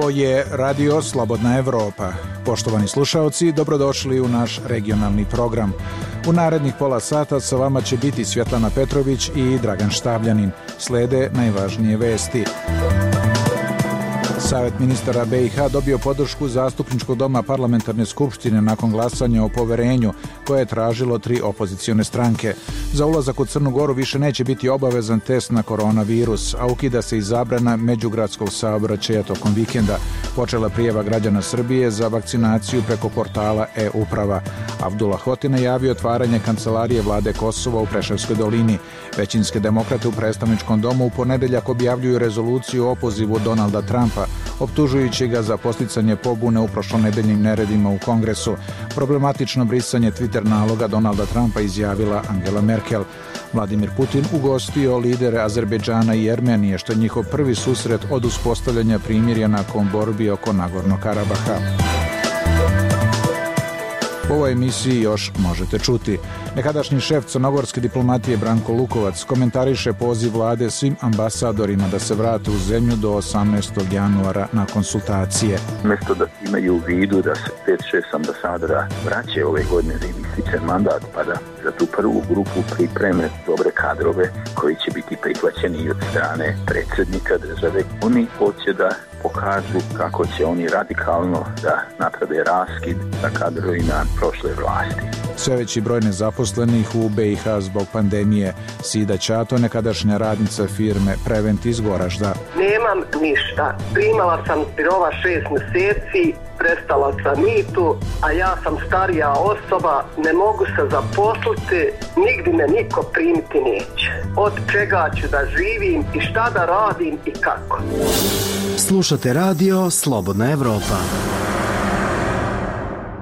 Ovo je Radio Slobodna Evropa. Poštovani slušaoci, dobrodošli u naš regionalni program. U narednih pola sata sa vama će biti Svjetlana Petrović i Dragan Štavljanin. Slede najvažnije vesti. Savet ministara BiH dobio podršku Zastupničkog doma Parlamentarne skupštine nakon glasanja o poverenju koje je tražilo 3 opozicione stranke. Za ulazak u Crnu Goru više neće biti obavezan test na koronavirus, a ukida se i zabrana međugradskog saobraćaja tokom vikenda. Počela prijava građana Srbije za vakcinaciju preko portala e-uprava. Abdullah Hoti najavio otvaranje kancelarije vlade Kosova u Preševskoj dolini. Većinske demokrate u predstavničkom domu u ponedeljak objavljuju rezoluciju o opozivu Donalda Trumpa, optužujući ga za podsticanje pobune u prošlonedeljnim neredima u Kongresu. Problematično brisanje Twitter naloga Donalda Trumpa izjavila Angela Merkel. Vladimir Putin ugostio lidere Azerbejdžana i Jermenije, što je njihov prvi susret od uspostavljanja primirja nakon borbi oko Nagornog Karabaha. U ovoj emisiji još možete čuti. Nekadašnji šef crnogorske diplomatije Branko Lukovac komentariše poziv vlade svim ambasadorima da se vrate u zemlju do 18. januara na konsultacije. Mjesto da imaju u vidu da se 5-6 ambasadora vraće ove godine da im ističe mandat, pa da za tu prvu grupu pripreme dobre kadrove koji će biti prihvaćeni od strane predsjednika države. Oni hoće da pokažu kako će oni radikalno da naprave raskid sa kadrovima prošle vlasti. Sve veći broj nezaposlenih u BiH zbog pandemije. Sida Ćato, nekadašnja radnica firme Prevent iz Goražda. Nemam ništa. Primala sam pirova 6 mjeseci, prestala sam mitu, a ja sam starija osoba, ne mogu se zaposliti, nigdje me niko primiti neće. Od čega ću da živim i šta da radim i kako. Slušate Radio Slobodna Evropa.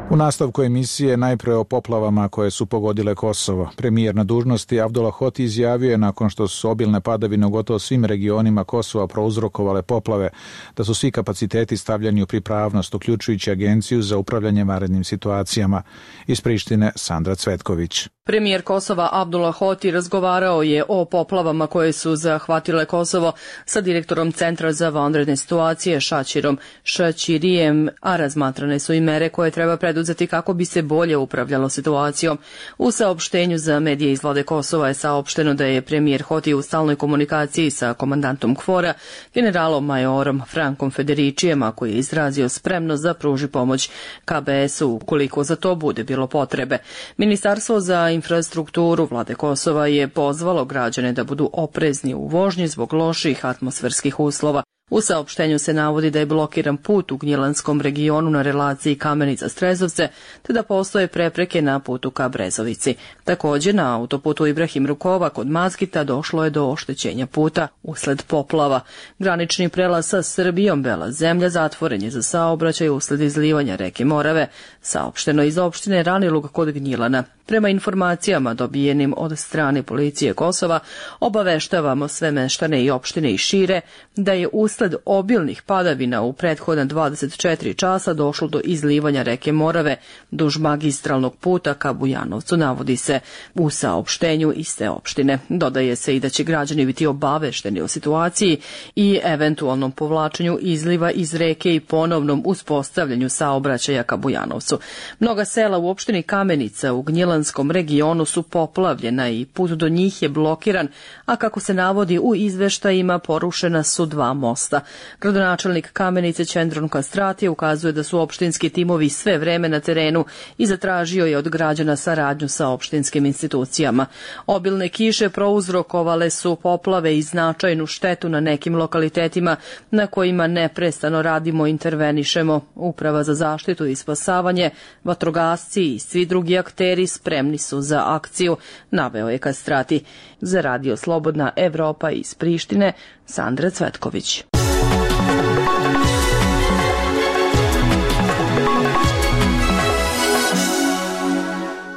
U nastavku emisije najpre o poplavama koje su pogodile Kosovo. Premijer na dužnosti Abdullah Hoti izjavio je nakon što su obilne padavine u gotovo svim regionima Kosova prouzrokovale poplave, da su svi kapaciteti stavljeni u pripravnost, uključujući Agenciju za upravljanje vanrednim situacijama. Iz Prištine Sandra Cvetković. Premijer Kosova Abdullah Hoti razgovarao je o poplavama koje su zahvatile Kosovo sa direktorom Centra za vanredne situacije Šačirom Šačirijem, a razmatrane su i mere koje treba preduzeti kako bi se bolje upravljalo situacijom. U saopštenju za medije iz vlade Kosova je saopšteno da je premijer Hoti u stalnoj komunikaciji sa komandantom KFOR-a, generalom majorom Frankom Federičijem, a koji je izrazio spremnost da pruži pomoć KBS-u ukoliko za to bude bilo potrebe. Ministarstvo za infrastrukturu vlade Kosova je pozvalo građane da budu oprezni u vožnji zbog loših atmosferskih uslova. U saopštenju se navodi da je blokiran put u Gnjilanskom regionu na relaciji Kamenica-Strezovce, te da postoje prepreke na putu ka Brezovici. Također na autoputu Ibrahim Rukova kod Mazgita došlo je do oštećenja puta usled poplava. Granični prelaz sa Srbijom Bela Zemlja zatvoren je za saobraćaj usled izlivanja reke Morave, saopšteno iz opštine Ranilug kod Gnjilana. Prema informacijama dobijenim od strane policije Kosova, obaveštavamo sve meštane i opštine i šire da je usled obilnih padavina u prethodna 24 časa došlo do izlivanja reke Morave duž magistralnog puta ka Bujanovcu, navodi se u saopštenju iste opštine. Dodaje se i da će građani biti obavešteni o situaciji i eventualnom povlačenju izliva iz reke i ponovnom uspostavljanju saobraćaja ka Bujanovcu. Mnoga sela u opštini Kamenica u Gnjilanskom regionu su poplavljena i put do njih je blokiran, a kako se navodi u izveštajima porušena su 2 mosta. Gradonačelnik Kamenice Čendron Kastrati ukazuje da su opštinski timovi sve vreme na terenu i zatražio je od građana saradnju sa opštinskim institucijama. Obilne kiše prouzrokovale su poplave i značajnu štetu na nekim lokalitetima na kojima neprestano radimo i intervenišemo. Uprava za zaštitu i spasavanje, vatrogasci i svi drugi akteri spremni su za akciju, naveo je Kastrati. Za Radio Slobodna Evropa iz Prištine, Sandra Cvetković.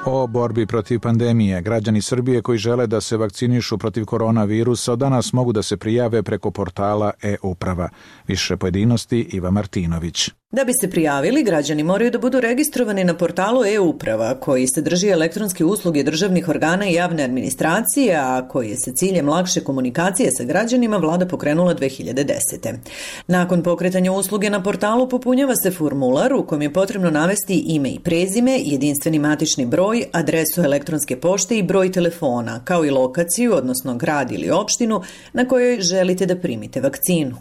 O borbi protiv pandemije. Građani Srbije koji žele da se vakcinišu protiv koronavirusa od danas mogu da se prijave preko portala e-uprava. Više pojedinosti Iva Martinović. Da bi se prijavili, građani moraju da budu registrovani na portalu e-uprava, koji sadrži elektronske usluge državnih organa i javne administracije, a koji je sa ciljem lakše komunikacije sa građanima vlada pokrenula 2010. Nakon pokretanja usluge na portalu popunjava se formular u kojem je potrebno navesti ime i prezime, jedinstveni matični broj, adresu elektronske pošte i broj telefona, kao i lokaciju, odnosno grad ili opštinu na kojoj želite da primite vakcinu.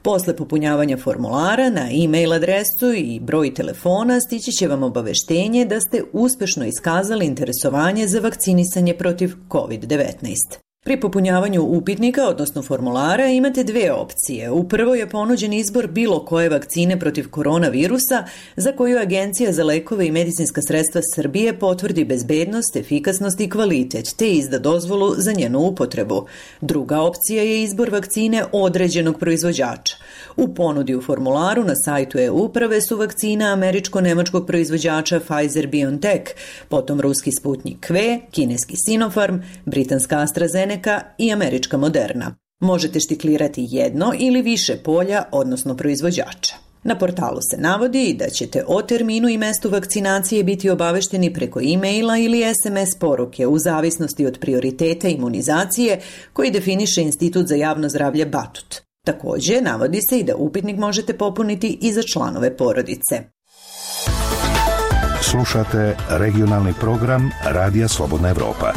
Posle popunjavanja formulara na e-mail adresu i broj telefona stići će vam obaveštenje da ste uspešno iskazali interesovanje za vakcinisanje protiv COVID-19. Pri popunjavanju upitnika, odnosno formulara, imate dve opcije. U prvoj je ponuđen izbor bilo koje vakcine protiv koronavirusa za koju Agencija za lekove i medicinska sredstva Srbije potvrdi bezbednost, efikasnost i kvalitet, te izda dozvolu za njenu upotrebu. Druga opcija je izbor vakcine određenog proizvođača. U ponudi u formularu na sajtu e-uprave su vakcina američko-nemačkog proizvođača Pfizer-BioNTech, potom ruski Sputnik V, kineski Sinopharm, britanska AstraZeneca i američka Moderna. Možete štiklirati jedno ili više polja, odnosno proizvođača. Na portalu se navodi da ćete o terminu i mestu vakcinacije biti obavešteni preko e-maila ili SMS poruke u zavisnosti od prioriteta imunizacije koji definiše Institut za javno zdravlje Batut. Također, navodi se i da upitnik možete popuniti i za članove porodice. Slušate regionalni program Radija Slobodna Evropa.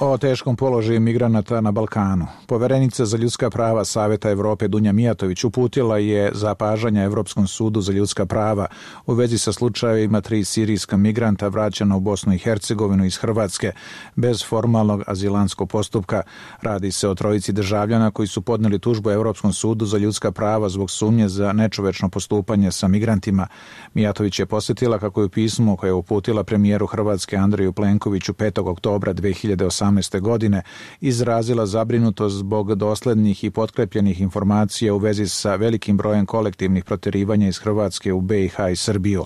O teškom položaju migranata na Balkanu. Poverenica za ljudska prava Saveta Evrope Dunja Mijatović uputila je zapažanja Evropskom sudu za ljudska prava u vezi sa slučajevima 3 sirijska migranta vraćena u Bosnu i Hercegovinu iz Hrvatske bez formalnog azilanskog postupka. Radi se o 3 državljana koji su podneli tužbu Evropskom sudu za ljudska prava zbog sumnje za nečovečno postupanje sa migrantima. Mijatović je posjetila kako je u pismu koje je uputila premijeru Hrvatske Andreju Plenkoviću 5. oktobra 2018. godine izrazila zabrinutost zbog doslednih i potkrepljenih informacija u vezi sa velikim brojem kolektivnih protjerivanja iz Hrvatske u BiH i Srbiju.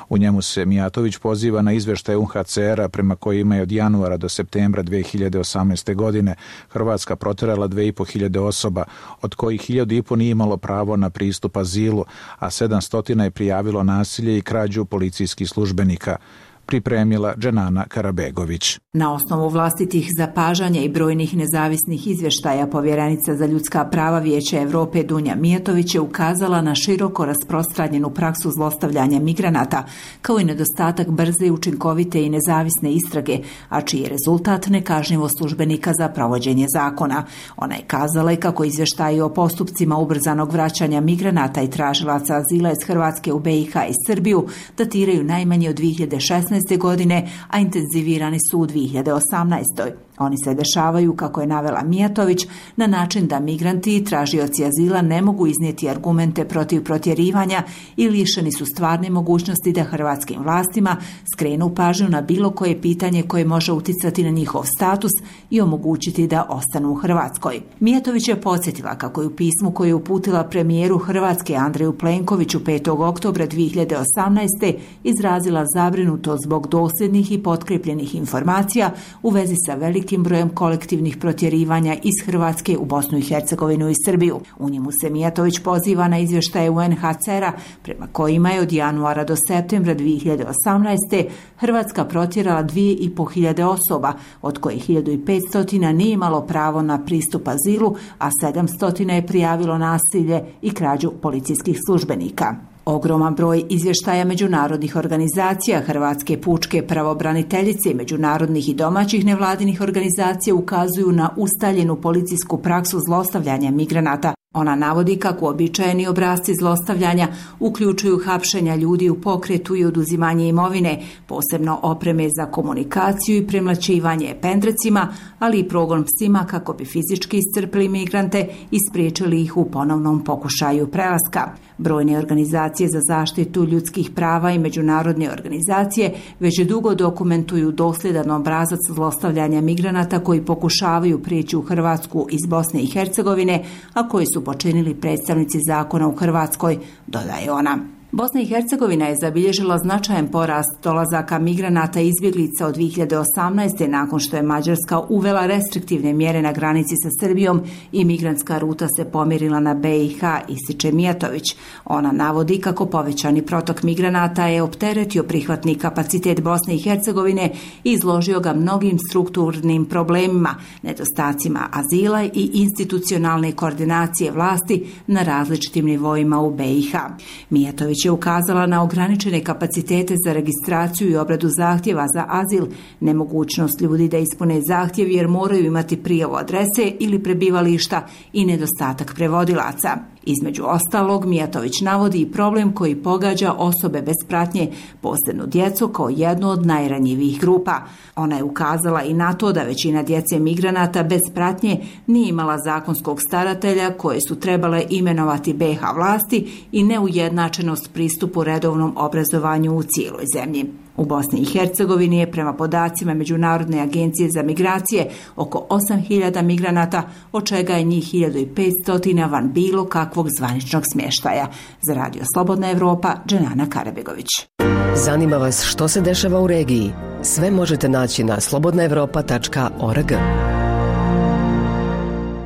U njemu se Mijatović poziva na izveštaj UNHCR-a prema kojima je od januara do septembra 2018. godine Hrvatska protjerala 2.500 osoba, od kojih 1.500 nije imalo pravo na pristup azilu, a 700 je prijavilo nasilje i krađu policijskih službenika. Pripremila Dženana Karabegović. Na osnovu vlastitih zapažanja i brojnih nezavisnih izvještaja povjerenica za ljudska prava Vijeća Evrope Dunja Mijatović je ukazala na široko rasprostranjenu praksu zlostavljanja migranata, kao i nedostatak brze, učinkovite i nezavisne istrage, a čiji je rezultat nekažnjivost službenika za provođenje zakona. Ona je kazala i kako izvještaji o postupcima ubrzanog vraćanja migranata i tražilaca azila iz Hrvatske u BiH i Srbiju datiraju najmanje od 2016. godine, a intenzivirani su u 2018. Oni se dešavaju, kako je navela Mijatović, na način da migranti i tražioci azila ne mogu iznijeti argumente protiv protjerivanja i lišeni su stvarne mogućnosti da hrvatskim vlastima skrenu pažnju na bilo koje pitanje koje može uticati na njihov status i omogućiti da ostanu u Hrvatskoj. Mijatović je podsjetila kako je u pismu koje je uputila premijeru Hrvatske Andreju Plenkoviću 5. oktobra 2018. izrazila zabrinutost zbog dosljednih i potkrepljenih informacija u vezi sa velikim brojem kolektivnih protjerivanja iz Hrvatske u Bosnu i Hercegovinu i Srbiju. U njemu se Mijatović poziva na izvještaje UNHCR-a prema kojima je od januara do septembra 2018. Hrvatska protjerala 2.500 osoba, od kojih 1.500 nije imalo pravo na pristup azilu, a 700 je prijavilo nasilje i krađu policijskih službenika. Ogroman broj izvještaja međunarodnih organizacija, Hrvatske pučke pravobraniteljice, međunarodnih i domaćih nevladinih organizacija ukazuju na ustaljenu policijsku praksu zlostavljanja migranata. Ona navodi kako uobičajeni obrasci zlostavljanja uključuju hapšenja ljudi u pokretu i oduzimanje imovine, posebno opreme za komunikaciju i premlaćivanje pendrecima, ali i progon psima kako bi fizički iscrpili migrante i spriječili ih u ponovnom pokušaju prelaska. Brojne organizacije za zaštitu ljudskih prava i međunarodne organizacije već dugo dokumentuju dosljedan obrazac zlostavljanja migranata koji pokušavaju prijeći u Hrvatsku iz Bosne i Hercegovine, a koji su počinili predstavnici zakona u Hrvatskoj, dodaje ona. Bosna i Hercegovina je zabilježila značajan porast dolazaka migranata i izbjeglica od 2018. nakon što je Mađarska uvela restriktivne mjere na granici sa Srbijom i migrantska ruta se pomjerila na BiH, ističe Mijatović. Ona navodi kako povećani protok migranata je opteretio prihvatni kapacitet Bosne i Hercegovine i izložio ga mnogim strukturnim problemima, nedostacima azila i institucionalne koordinacije vlasti na različitim nivoima u BiH. Mijatović je ukazala na ograničene kapacitete za registraciju i obradu zahtjeva za azil, nemogućnost ljudi da ispune zahtjev jer moraju imati prijavu adrese ili prebivališta i nedostatak prevodilaca. Između ostalog, Mijatović navodi i problem koji pogađa osobe bez pratnje, posebno djecu, kao jednu od najranjivijih grupa. Ona je ukazala i na to da većina djece migranata bez pratnje nije imala zakonskog staratelja koje su trebale imenovati BiH vlasti i neujednačenost pristupu redovnom obrazovanju u cijeloj zemlji. U Bosni i Hercegovini je prema podacima Međunarodne agencije za migracije oko 8.000 migranata, od čega je njih 1.500 van bilo kakvog zvaničnog smještaja. Za Radio Slobodna Evropa, Dženana Karabegović. Zanima vas što se dešava u regiji? Sve možete naći na slobodnaevropa.org.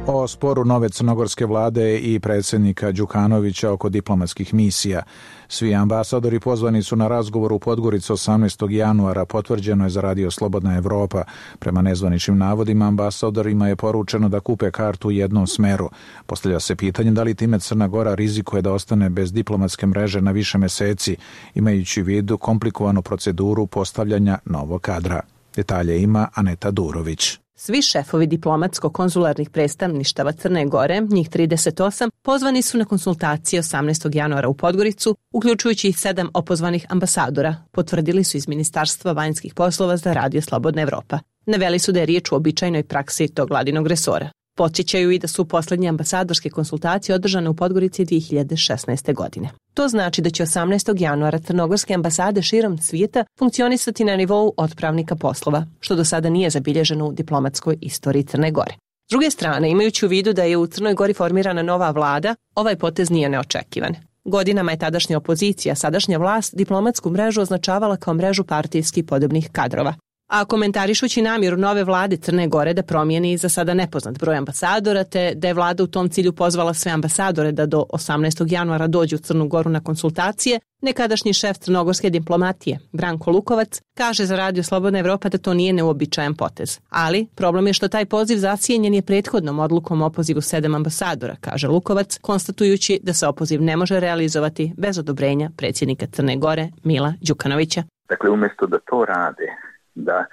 O sporu nove crnogorske vlade i predsjednika Đukanovića oko diplomatskih misija. Svi ambasadori pozvani su na razgovor u Podgorici 18. januara, potvrđeno je za Radio Slobodna Evropa. Prema nezvaničnim navodima, ambasadorima je poručeno da kupe kartu u jednom smeru. Postavlja se pitanje da li time Crna Gora rizikuje da ostane bez diplomatske mreže na više mjeseci, imajući u vidu komplikovanu proceduru postavljanja novog kadra. Detalje ima Aneta Durović. Svi šefovi diplomatsko-konzularnih predstavništava Crne Gore, njih 38, pozvani su na konsultacije 18. januara u Podgoricu, uključujući i 7 opozvanih ambasadora, potvrdili su iz Ministarstva vanjskih poslova za Radio Slobodna Evropa. Naveli su da je riječ o običajnoj praksi tog vladinog resora. Podsjećaju i da su posljednje ambasadorske konsultacije održane u Podgorici 2016. godine. To znači da će 18. januara crnogorske ambasade širom svijeta funkcionisati na nivou otpravnika poslova, što do sada nije zabilježeno u diplomatskoj istoriji Crne Gore. S druge strane, imajući u vidu da je u Crnoj Gori formirana nova vlada, ovaj potez nije neočekivan. Godinama je tadašnja opozicija, sadašnja vlast, diplomatsku mrežu označavala kao mrežu partijski podobnih kadrova. A komentarišući namjeru nove vlade Crne Gore da promijeni za sada nepoznat broj ambasadora, te da je vlada u tom cilju pozvala sve ambasadore da do 18. januara dođu u Crnu Goru na konsultacije, nekadašnji šef crnogorske diplomatije, Branko Lukovac, kaže za Radio Slobodna Evropa da to nije neuobičajan potez. Ali problem je što taj poziv zasjenjen je prethodnom odlukom o opozivu 7 ambasadora, kaže Lukovac, konstatujući da se opoziv ne može realizovati bez odobrenja predsjednika Crne Gore Mila Đukanovića. Dakle, umjesto da to rade, da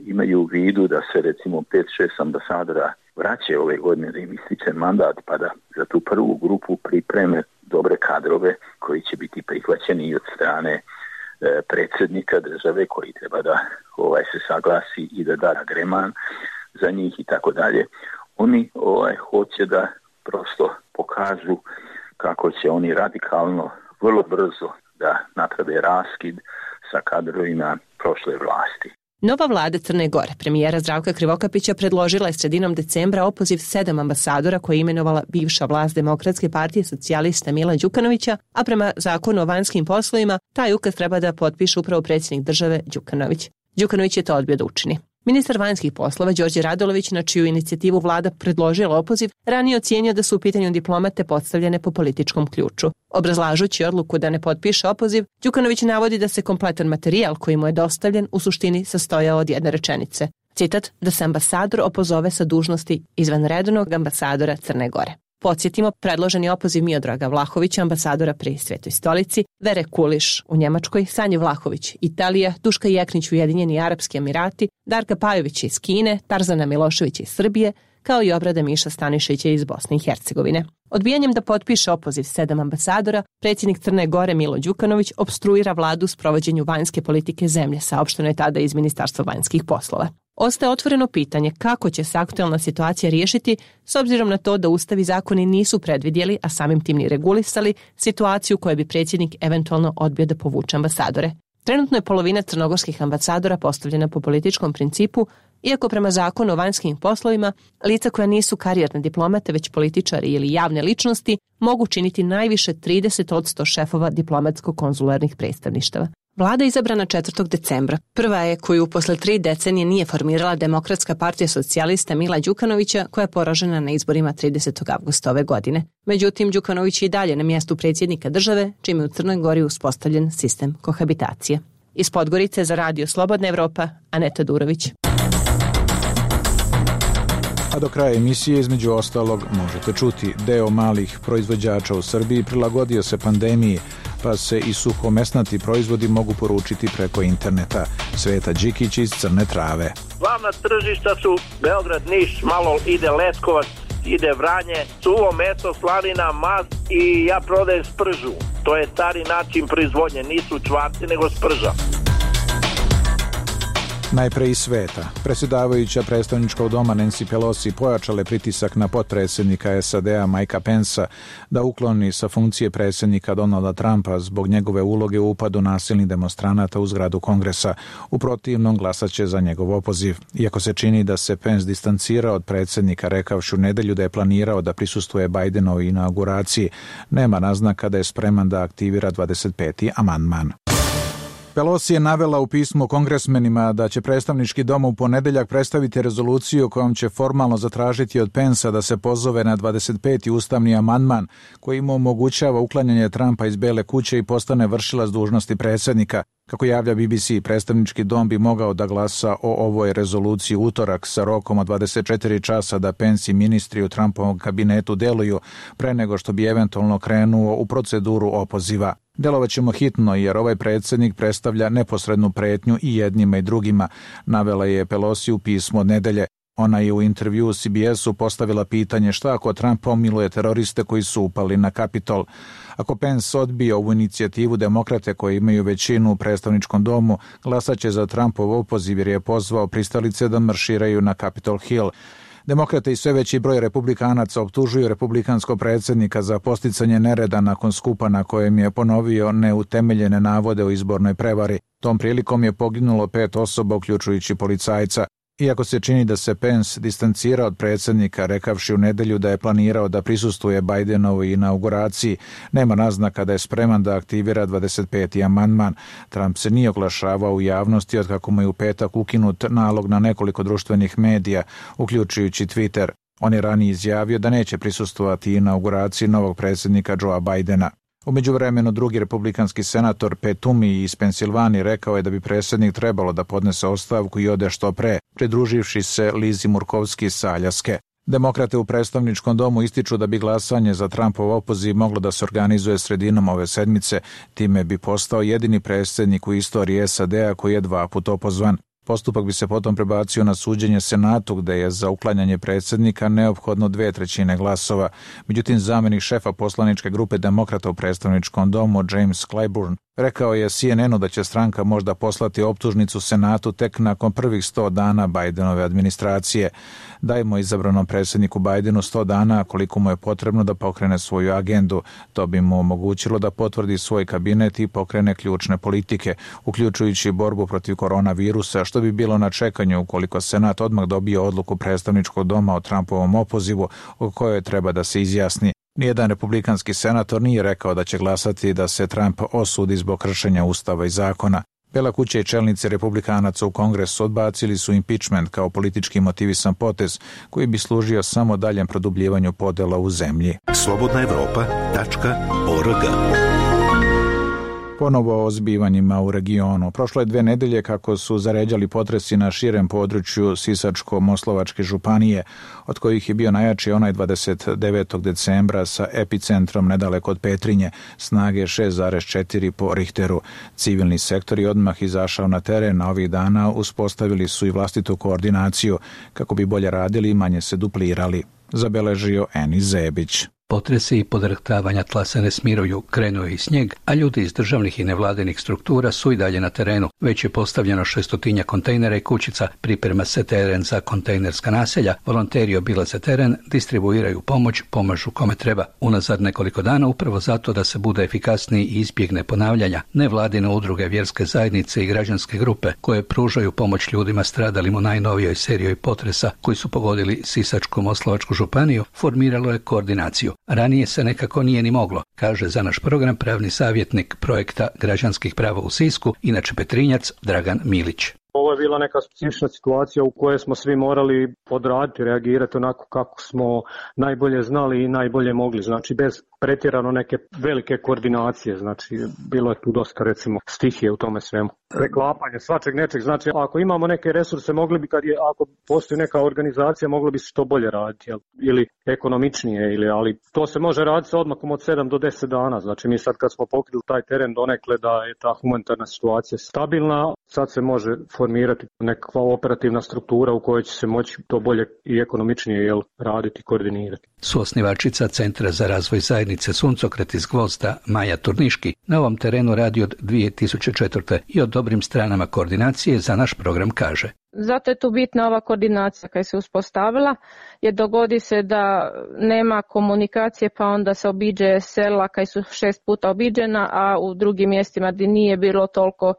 imaju u vidu da se recimo 5-6 ambasadora vraća ove godine da im ističe mandat, pa da za tu prvu grupu pripreme dobre kadrove koji će biti prihvaćeni i od strane predsjednika države koji treba da se saglasi i da da agreman za njih i tako dalje. Oni hoće da prosto pokažu kako će oni radikalno, vrlo brzo da naprave raskid sa kadrovima prošle vlasti. Nova vlada Crne Gore, premijera Zdravka Krivokapića, predložila je sredinom decembra opoziv 7 ambasadora koje je imenovala bivša vlast Demokratske partije socijalista Mila Đukanovića, a prema zakonu o vanjskim poslovima taj ukaz treba da potpiše upravo predsjednik države Đukanović. Đukanović je to odbio da učini. Ministar vanjskih poslova Đorđe Radulović, na čiju inicijativu vlada predložila opoziv, ranije ocijenio da su u pitanju diplomate postavljene po političkom ključu. Obrazlažući odluku da ne potpiše opoziv, Đukanović navodi da se kompletan materijal koji mu je dostavljen u suštini sastojao od jedne rečenice. Citat, da se ambasador opozove sa dužnosti izvanrednog ambasadora Crne Gore. Podsjetimo, predloženi opoziv Miodraga Vlahovića, ambasadora pri Svetoj stolici, Vere Kuliš u Njemačkoj, Sanje Vlahović Italija, Duška Jeknić Ujedinjeni Arapski Emirati, Darka Pajović iz Kine, Tarzana Miloševića iz Srbije, kao i Obrada Miša Stanišića iz Bosne i Hercegovine. Odbijanjem da potpiše opoziv 7 ambasadora, predsjednik Crne Gore Milo Đukanović opstruira vladu u sprovođenju vanjske politike zemlje, saopšteno je tada iz Ministarstva vanjskih poslova. Ostaje otvoreno pitanje kako će se aktualna situacija riješiti s obzirom na to da Ustav i zakoni nisu predvidjeli, a samim tim ni regulisali, situaciju u kojoj bi predsjednik eventualno odbio da povuče ambasadore. Trenutno je polovina crnogorskih ambasadora postavljena po političkom principu, iako prema zakonu o vanjskim poslovima, lica koja nisu karijerne diplomate, već političari ili javne ličnosti, mogu činiti najviše 30% šefova diplomatsko-konzularnih predstavništava. Vlada je izabrana 4. decembra. Prva je koju posle 3 decenije nije formirala Demokratska partija socijalista Mila Đukanovića, koja je poražena na izborima 30. avgusta ove godine. Međutim, Đukanović je i dalje na mjestu predsjednika države, čime je u Crnoj Gori uspostavljen sistem kohabitacije. Iz Podgorice za Radio Slobodna Evropa, Aneta Durović. A do kraja emisije, između ostalog, možete čuti deo malih proizvođača u Srbiji prilagodio se pandemiji, pa se i suhomesnati proizvodi mogu poručiti preko interneta. Sveta Đikić iz Crne Trave. Glavna tržišta su Beograd, Niš, malo ide Leskovac, ide Vranje, suvo meso, slanina, mast i ja prodajem spržu. To je stari način proizvodnje, nisu čvarci nego sprža. Najpre iz sveta. Predsjedavajuća predstavničkog doma Nancy Pelosi pojačale pritisak na potpredsjednika SAD-a Mikea Pensa da ukloni sa funkcije predsjednika Donalda Trumpa zbog njegove uloge u upadu nasilnih demonstranata u zgradu Kongresa. U protivnom glasaće za njegov opoziv. Iako se čini da se Pence distancirao od predsjednika rekavši u nedelju da je planirao da prisustvuje Bidenovoj inauguraciji, nema naznaka da je spreman da aktivira 25. amandman. Pelosi je navela u pismu kongresmenima da će predstavnički dom u ponedeljak predstaviti rezoluciju kojom će formalno zatražiti od Pensa da se pozove na 25. ustavni amandman koji mu omogućava uklanjanje Trumpa iz Bele kuće i postane vršilac dužnosti predsjednika. Kako javlja BBC, predstavnički dom bi mogao da glasa o ovoj rezoluciji utorak sa rokom od 24 časa da Pence i ministri u Trumpovom kabinetu deluju pre nego što bi eventualno krenuo u proceduru opoziva. Delovaćemo hitno jer ovaj predsjednik predstavlja neposrednu pretnju i jednima i drugima, navela je Pelosi u pismu od nedelje. Ona je u intervjuu CBS-u postavila pitanje šta ako Trump pomiluje teroriste koji su upali na Kapitol. Ako Pence odbije ovu inicijativu, demokrate koji imaju većinu u predstavničkom domu glasaće za Trumpov opoziv jer je pozvao pristalice da marširaju na Capitol Hill. Demokrate i sve veći broj republikanaca optužuju republikanskog predsjednika za posticanje nereda nakon skupa na kojem je ponovio neutemeljene navode o izbornoj prevari. Tom prilikom je poginulo 5 osoba, uključujući policajca. Iako se čini da se Pence distancira od predsjednika, rekavši u nedelju da je planirao da prisustvuje Bidenovoj inauguraciji, nema naznaka da je spreman da aktivira 25. amandman. Trump se nije oglašavao u javnosti od kako mu je u petak ukinut nalog na nekoliko društvenih medija, uključujući Twitter. On je ranije izjavio da neće prisustvovati inauguraciji novog predsjednika Joea Bidena. U međuvremenu drugi republikanski senator Pat Toomey iz Pensilvanije rekao je da bi predsjednik trebalo da podnese ostavku i ode što pre, pridruživši se Lizi Murkovski sa Aljaske. Demokrate u predstavničkom domu ističu da bi glasanje za Trumpov opoziv moglo da se organizuje sredinom ove sedmice, time bi postao jedini predsjednik u istoriji SAD-a koji je 2 puta opozvan. Postupak bi se potom prebacio na suđenje Senatu, gde je za uklanjanje predsjednika neophodno 2/3 glasova. Međutim, zamjenik šefa poslaničke grupe demokrata u predstavničkom domu, James Clyburn, rekao je CNN-u da će stranka možda poslati optužnicu Senatu tek nakon prvih 100 dana Bidenove administracije. Dajmo izabranom predsjedniku Bidenu 100 dana koliko mu je potrebno da pokrene svoju agendu. To bi mu omogućilo da potvrdi svoj kabinet i pokrene ključne politike, uključujući borbu protiv koronavirusa, što bi bilo na čekanju ukoliko Senat odmah dobije odluku predstavničkog doma o Trumpovom opozivu o kojoj treba da se izjasni. Nijedan republikanski senator nije rekao da će glasati da se Trump osudi zbog kršenja ustava i zakona. Bela kuća i čelnici republikanaca u Kongresu odbacili su impeachment kao politički motivisan potez koji bi služio samo daljem produbljivanju podela u zemlji. slobodnaevropa.org. Ponovo o zbivanjima u regionu. Prošlo je 2 nedelje kako su zaređali potresi na širem području Sisačko-Moslovačke županije, od kojih je bio najjači onaj 29. decembra sa epicentrom nedaleko od Petrinje, snage 6,4 po Richteru. Civilni sektor je odmah izašao na teren, a ovih dana uspostavili su i vlastitu koordinaciju kako bi bolje radili i manje se duplirali, zabeležio Eni Zebić. Potresi i podrhtavanja tla se ne smiruju, krenuo je i snijeg, a ljudi iz državnih i nevladinih struktura su i dalje na terenu. Već je postavljeno 600 kontejnera i kućica, priprema se teren za kontejnerska naselja, volonteri obilaze teren, distribuiraju pomoć, pomažu kome treba. Unazad nekoliko dana upravo zato da se bude efikasniji i izbjegne ponavljanja, nevladine udruge, vjerske zajednice i građanske grupe koje pružaju pomoć ljudima stradalim u najnovijoj seriji potresa koji su pogodili Sisačko-moslavačku županiju, formiralo je koordinaciju. Ranije se nekako nije ni moglo, kaže za naš program pravni savjetnik projekta građanskih prava u Sisku, inače Petrinjac, Dragan Milić. Ovo je bila neka specifična situacija u kojoj smo svi morali odraditi, reagirati onako kako smo najbolje znali i najbolje mogli, znači bez pretjerano neke velike koordinacije, znači bilo je tu dosta recimo stihije u tome svemu. Preklapanje svačeg nečeg, znači ako imamo neke resurse mogli bi ako postoji neka organizacija moglo bi se što bolje raditi ili ekonomičnije, ali to se može raditi sa odmakom od 7 do 10 dana, znači mi sad kad smo pokrili taj teren donekle da je ta humanitarna situacija stabilna, sad se može formirati nekakva operativna struktura u kojoj će se moći to bolje i ekonomičnije raditi i koordinirati. Suosnivačica Centra za razvoj zajednice Suncokret iz Gvozda, Maja Turniški, na ovom terenu radi od 2004. i o dobrim stranama koordinacije za naš program kaže. Zato je tu bitna ova koordinacija kad se uspostavila, jer dogodi se da nema komunikacije pa onda se obiđe sela kad su 6 puta obiđena, a u drugim mjestima gdje nije bilo toliko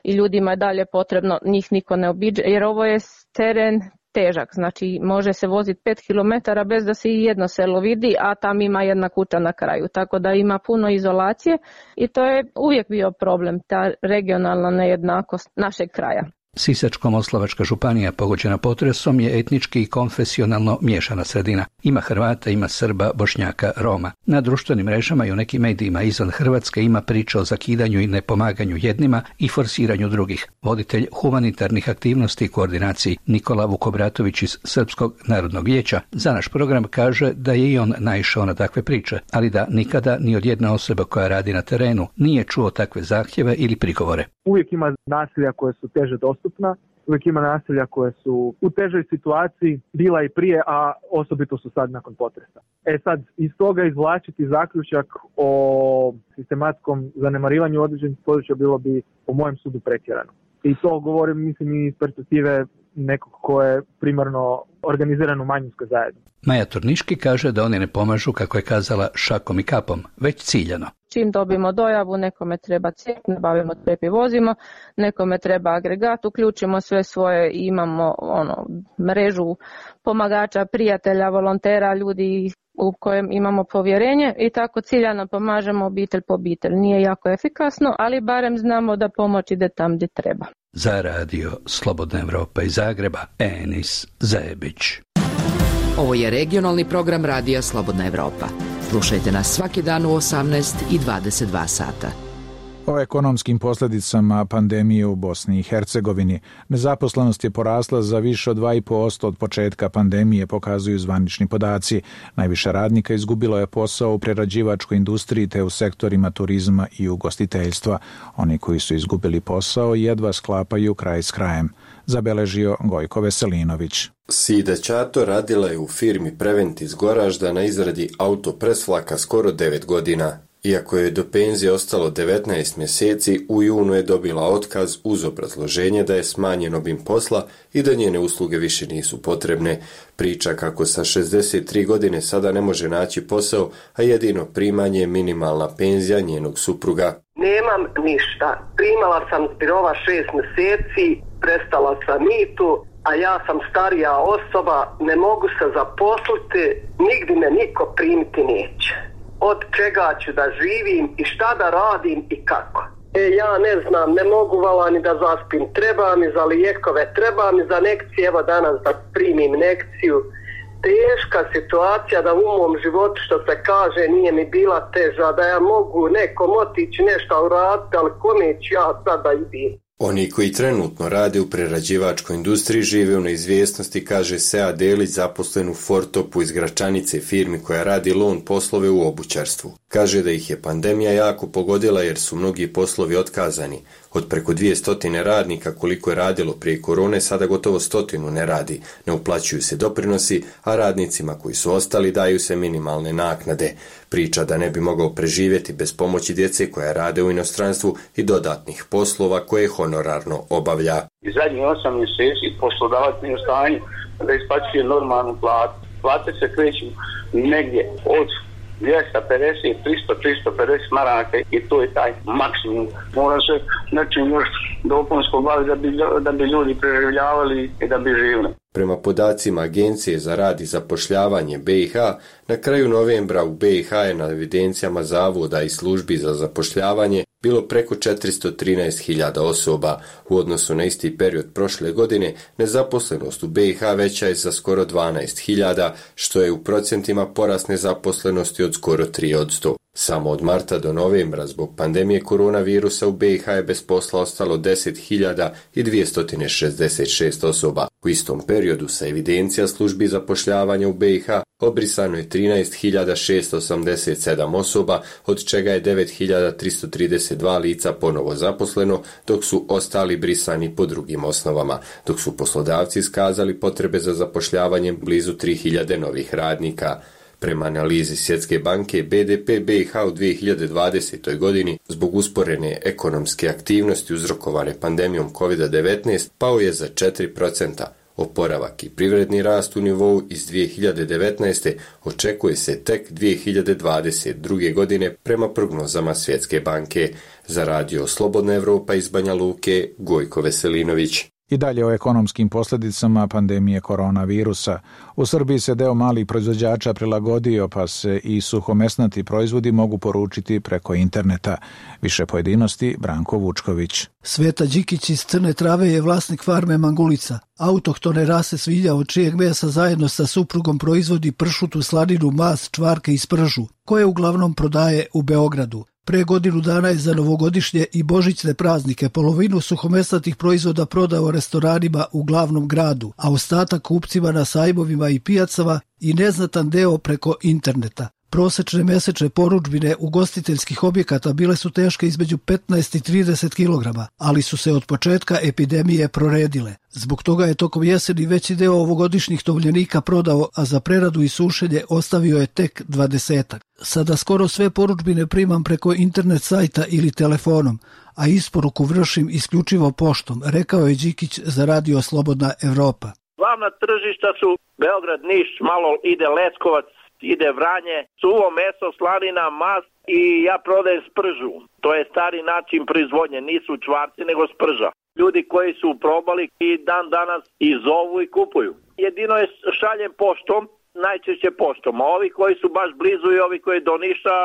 i ljudima je dalje potrebno, njih niko ne obiđe, jer ovo je teren težak, znači može se voziti 5 km bez da se i jedno selo vidi, a tam ima jedna kuća na kraju, tako da ima puno izolacije i to je uvijek bio problem, ta regionalna nejednakost našeg kraja. Sisačko-moslavačka županija pogođena potresom je etnički i konfesionalno miješana sredina. Ima Hrvata, ima Srba, Bošnjaka, Roma. Na društvenim mrežama i u nekim medijima izvan Hrvatske ima priča o zakidanju i nepomaganju jednima i forsiranju drugih. Voditelj humanitarnih aktivnosti i koordinaciji Nikola Vukobratović iz Srpskog narodnog vijeća za naš program kaže da je i on naišao na takve priče, ali da nikada ni od jedne osobe koja radi na terenu nije čuo takve zahtjeve ili prigovore. Uvijek ima naselja koje su teže dostupna, uvijek ima naselja koje su u težoj situaciji, bila i prije, a osobito su sad nakon potresa. Sad, iz toga izvlačiti zaključak o sistematskom zanemarivanju određenih područja bilo bi, po mojem sudu, pretjerano. I to govorim, mislim, iz perspektive nekog ko je primarno organiziran u manjinskoj zajednici. Maja Turniški kaže da oni ne pomažu, kako je kazala, šakom i kapom, već ciljano. Čim dobimo dojavu, nekome treba cijep, nabavimo cijep i vozimo, nekome treba agregat, uključimo sve svoje, imamo mrežu pomagača, prijatelja, volontera, ljudi u kojem imamo povjerenje i tako ciljano pomažemo obitelj po obitelj. Nije jako efikasno, ali barem znamo da pomoć ide tam gdje treba. Za radio Slobodna Evropa iz Zagreba, Enis Zajebić. Ovo je regionalni program radija Slobodna Evropa. Slušajte nas svaki dan u 18 i 22 sata. O ekonomskim posljedicama pandemije u Bosni i Hercegovini. Nezaposlenost je porasla za više od 2,5% od početka pandemije, pokazuju zvanični podaci. Najviše radnika izgubilo je posao u prerađivačkoj industriji te u sektorima turizma i ugostiteljstva. Oni koji su izgubili posao jedva sklapaju kraj s krajem, zabeležio Gojko Veselinović. Sida Ćato radila je u firmi Prevent iz Goražda na izradi autopresflaka skoro 9 godina. Iako je do penzije ostalo 19 mjeseci, u junu je dobila otkaz uz obrazloženje da je smanjen obim posla i da njene usluge više nisu potrebne. Priča kako sa 63 godine sada ne može naći posao, a jedino primanje je minimalna penzija njenog supruga. Nemam ništa. Primala sam spirova 6 mjeseci, prestala sam mitu, a ja sam starija osoba, ne mogu se zaposliti, nigdje me niko primiti neće. Od čega ću da živim i šta da radim i kako. Ja ne znam, ne mogu vala ni da zaspim. Treba mi za lijekove, treba mi za nekcije, evo danas da primim nekciju. Teška situacija da u mom životu, što se kaže, nije mi bila teža, da ja mogu nekom otići nešto uraditi, ali kome ću ja sad da idem. Oni koji trenutno rade u prerađivačkoj industriji žive u neizvjesnosti, kaže Sea Delić, zaposlen u Fortopu iz Gračanice, firmi koja radi lon poslove u obućarstvu. Kaže da ih je pandemija jako pogodila jer su mnogi poslovi otkazani. Od preko 200 radnika koliko je radilo prije korone, sada gotovo 100 ne radi. Ne uplaćuju se doprinosi, a radnicima koji su ostali daju se minimalne naknade. Priča da ne bi mogao preživjeti bez pomoći djece koja rade u inostranstvu i dodatnih poslova koje honorarno obavlja. I zadnjih 8 mjeseci poslodavac nije u stanju da isplaćuje normalnu platu. Plate se kreću negdje od 250, 300, 350 maraka i to je taj maksimum. Mora se nečim još dopunsko baviti da bi ljudi preživljavali i da bi živjeli. Prema podacima Agencije za rad i zapošljavanje BiH, na kraju novembra u BiH je na evidencijama zavoda i službi za zapošljavanje bilo preko 413.000 osoba. U odnosu na isti period prošle godine, nezaposlenost u BiH veća je za skoro 12.000, što je u procentima porast nezaposlenosti od skoro 3%. Samo od marta do novembra zbog pandemije koronavirusa u BiH je bez posla ostalo 10.266 osoba. U istom periodu sa evidencija službi zapošljavanja u BiH obrisano je 13.687 osoba, od čega je 9.332 lica ponovo zaposleno, dok su ostali brisani po drugim osnovama, dok su poslodavci iskazali potrebe za zapošljavanjem blizu 3.000 novih radnika. Prema analizi Svjetske banke, BDP BiH u 2020. godini zbog usporene ekonomske aktivnosti uzrokovane pandemijom COVID-19 pao je za 4%. Oporavak i privredni rast u nivou iz 2019. očekuje se tek 2022. godine prema prognozama Svjetske banke. Za radio Slobodna Evropa iz Banja Luke, Gojko Veselinović. I dalje o ekonomskim posljedicama pandemije koronavirusa. U Srbiji se deo malih proizvođača prilagodio, pa se i suhomesnati proizvodi mogu poručiti preko interneta. Više pojedinosti, Branko Vučković. Sveta Đikić iz Crne Trave je vlasnik farme Mangulica, autohtone rase svinja od čijeg mesa zajedno sa suprugom proizvodi pršutu, slaninu, mas, čvarke i spržu, koje uglavnom prodaje u Beogradu. Pre godinu dana je za novogodišnje i božićne praznike polovinu suhomesnatih proizvoda prodao restoranima u glavnom gradu, a ostatak kupcima na sajmovima i pijacama i neznatan deo preko interneta. Prosečne mesečne porudžbine ugostiteljskih objekata bile su teške između 15 i 30 kg, ali su se od početka epidemije proredile. Zbog toga je tokom jeseni veći deo ovogodišnjih tovljenika prodao, a za preradu i sušenje ostavio je tek 20-ak. Sada skoro sve porudžbine primam preko internet sajta ili telefonom, a isporuku vršim isključivo poštom, rekao je Đikić za radio Slobodna Evropa. Glavna tržišta su Beograd, Niš, malo ide Leskovac, ide Vranje, suvo meso, slanina, mast i ja prodajem spržu. To je stari način proizvodnje, nisu čvarci nego sprža. Ljudi koji su probali i dan danas i zovu i kupuju. Jedino je šaljem poštom, najčešće poštom, a ovi koji su baš blizu i ovi koji do Niša,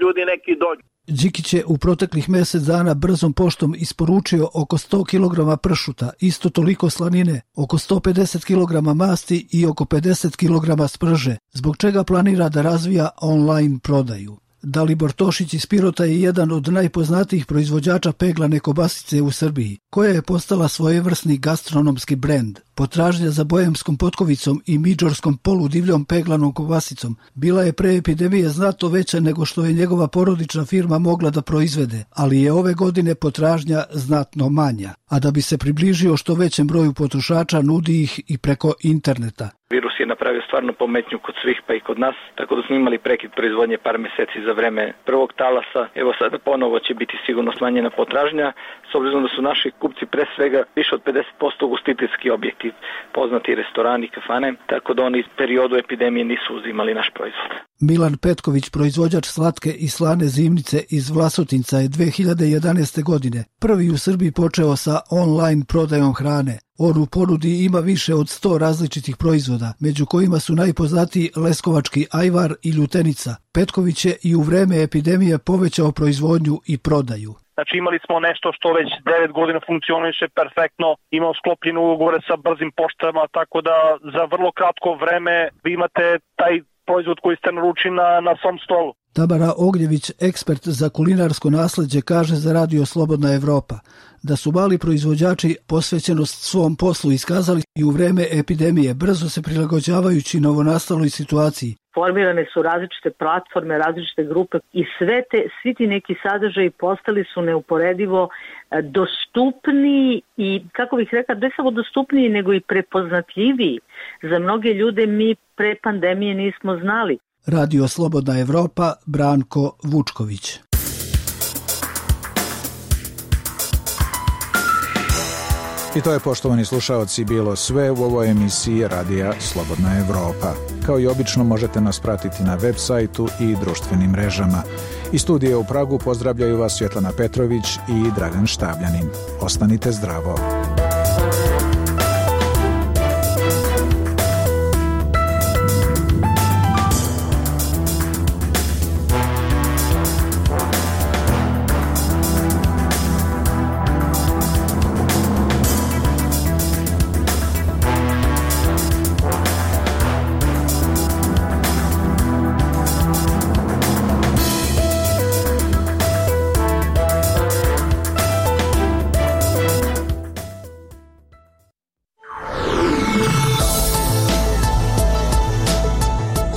ljudi neki dođu. Đikić je u proteklih mjesec dana brzom poštom isporučio oko 100 kg pršuta, isto toliko slanine, oko 150 kg masti i oko 50 kg sprže, zbog čega planira da razvija online prodaju. Dalibor Tošić iz Pirota je jedan od najpoznatijih proizvođača peglane kobasice u Srbiji, koja je postala svojevrsni gastronomski brend. Potražnja za bojemskom potkovicom i midžorskom poludivljom peglanom kobasicom bila je pre epidemije znatno veća nego što je njegova porodična firma mogla da proizvede, ali je ove godine potražnja znatno manja. A da bi se približio što većem broju potrošača, nudi ih i preko interneta. Virus je napravio stvarno pometnju kod svih, pa i kod nas, tako da smo imali prekid proizvodnje par mjeseci za vreme prvog talasa. Evo sada ponovo će biti sigurno smanjena potražnja, s obzirom da su naši kupci pre svega više od 50% ugostiteljski objekti, poznati restorani, kafane, tako da oni iz periodu epidemije nisu uzimali naš proizvod. Milan Petković, proizvođač slatke i slane zimnice iz Vlasotinca, je 2011. godine prvi u Srbiji počeo sa online prodajom hrane. On u ponudi ima više od 100 različitih proizvoda, među kojima su najpoznatiji leskovački ajvar i ljutenica. Petković je i u vreme epidemije povećao proizvodnju i prodaju. Znači imali smo nešto što već 9 godina funkcioniše perfektno, imamo sklopljene ugovore sa brzim poštama, tako da za vrlo kratko vreme vi imate taj proizvod koji ste naručili na svom stolu. Tamara Ognjević, ekspert za kulinarsko nasleđe, kaže za radio Slobodna Evropa da su mali proizvođači posvećenost svom poslu iskazali i u vreme epidemije, brzo se prilagođavajući novonastaloj situaciji formirane su različite platforme, različite grupe i svi ti neki sadržaji postali su neuporedivo dostupniji i, kako bih rekla, ne samo dostupniji nego i prepoznatljiviji. Za mnoge ljude mi pre pandemije nismo znali. Radio Slobodna Evropa, Branko Vučković. I to je, poštovani slušaoci, bilo sve u ovoj emisiji Radija Slobodna Evropa. Kao i obično možete nas pratiti na web sajtu i društvenim mrežama. Iz studija u Pragu pozdravljaju vas Svjetlana Petrović i Dragan Štabljanin. Ostanite zdravo.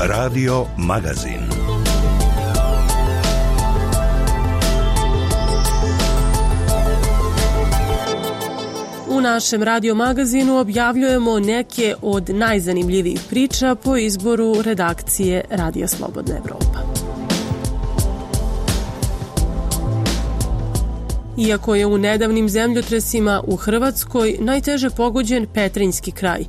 Radio Magazin. U našem radio magazinu objavljujemo neke od najzanimljivijih priča po izboru redakcije Radija Slobodna Evropa. Iako je u nedavnim zemljotresima u Hrvatskoj najteže pogođen Petrinjski kraj,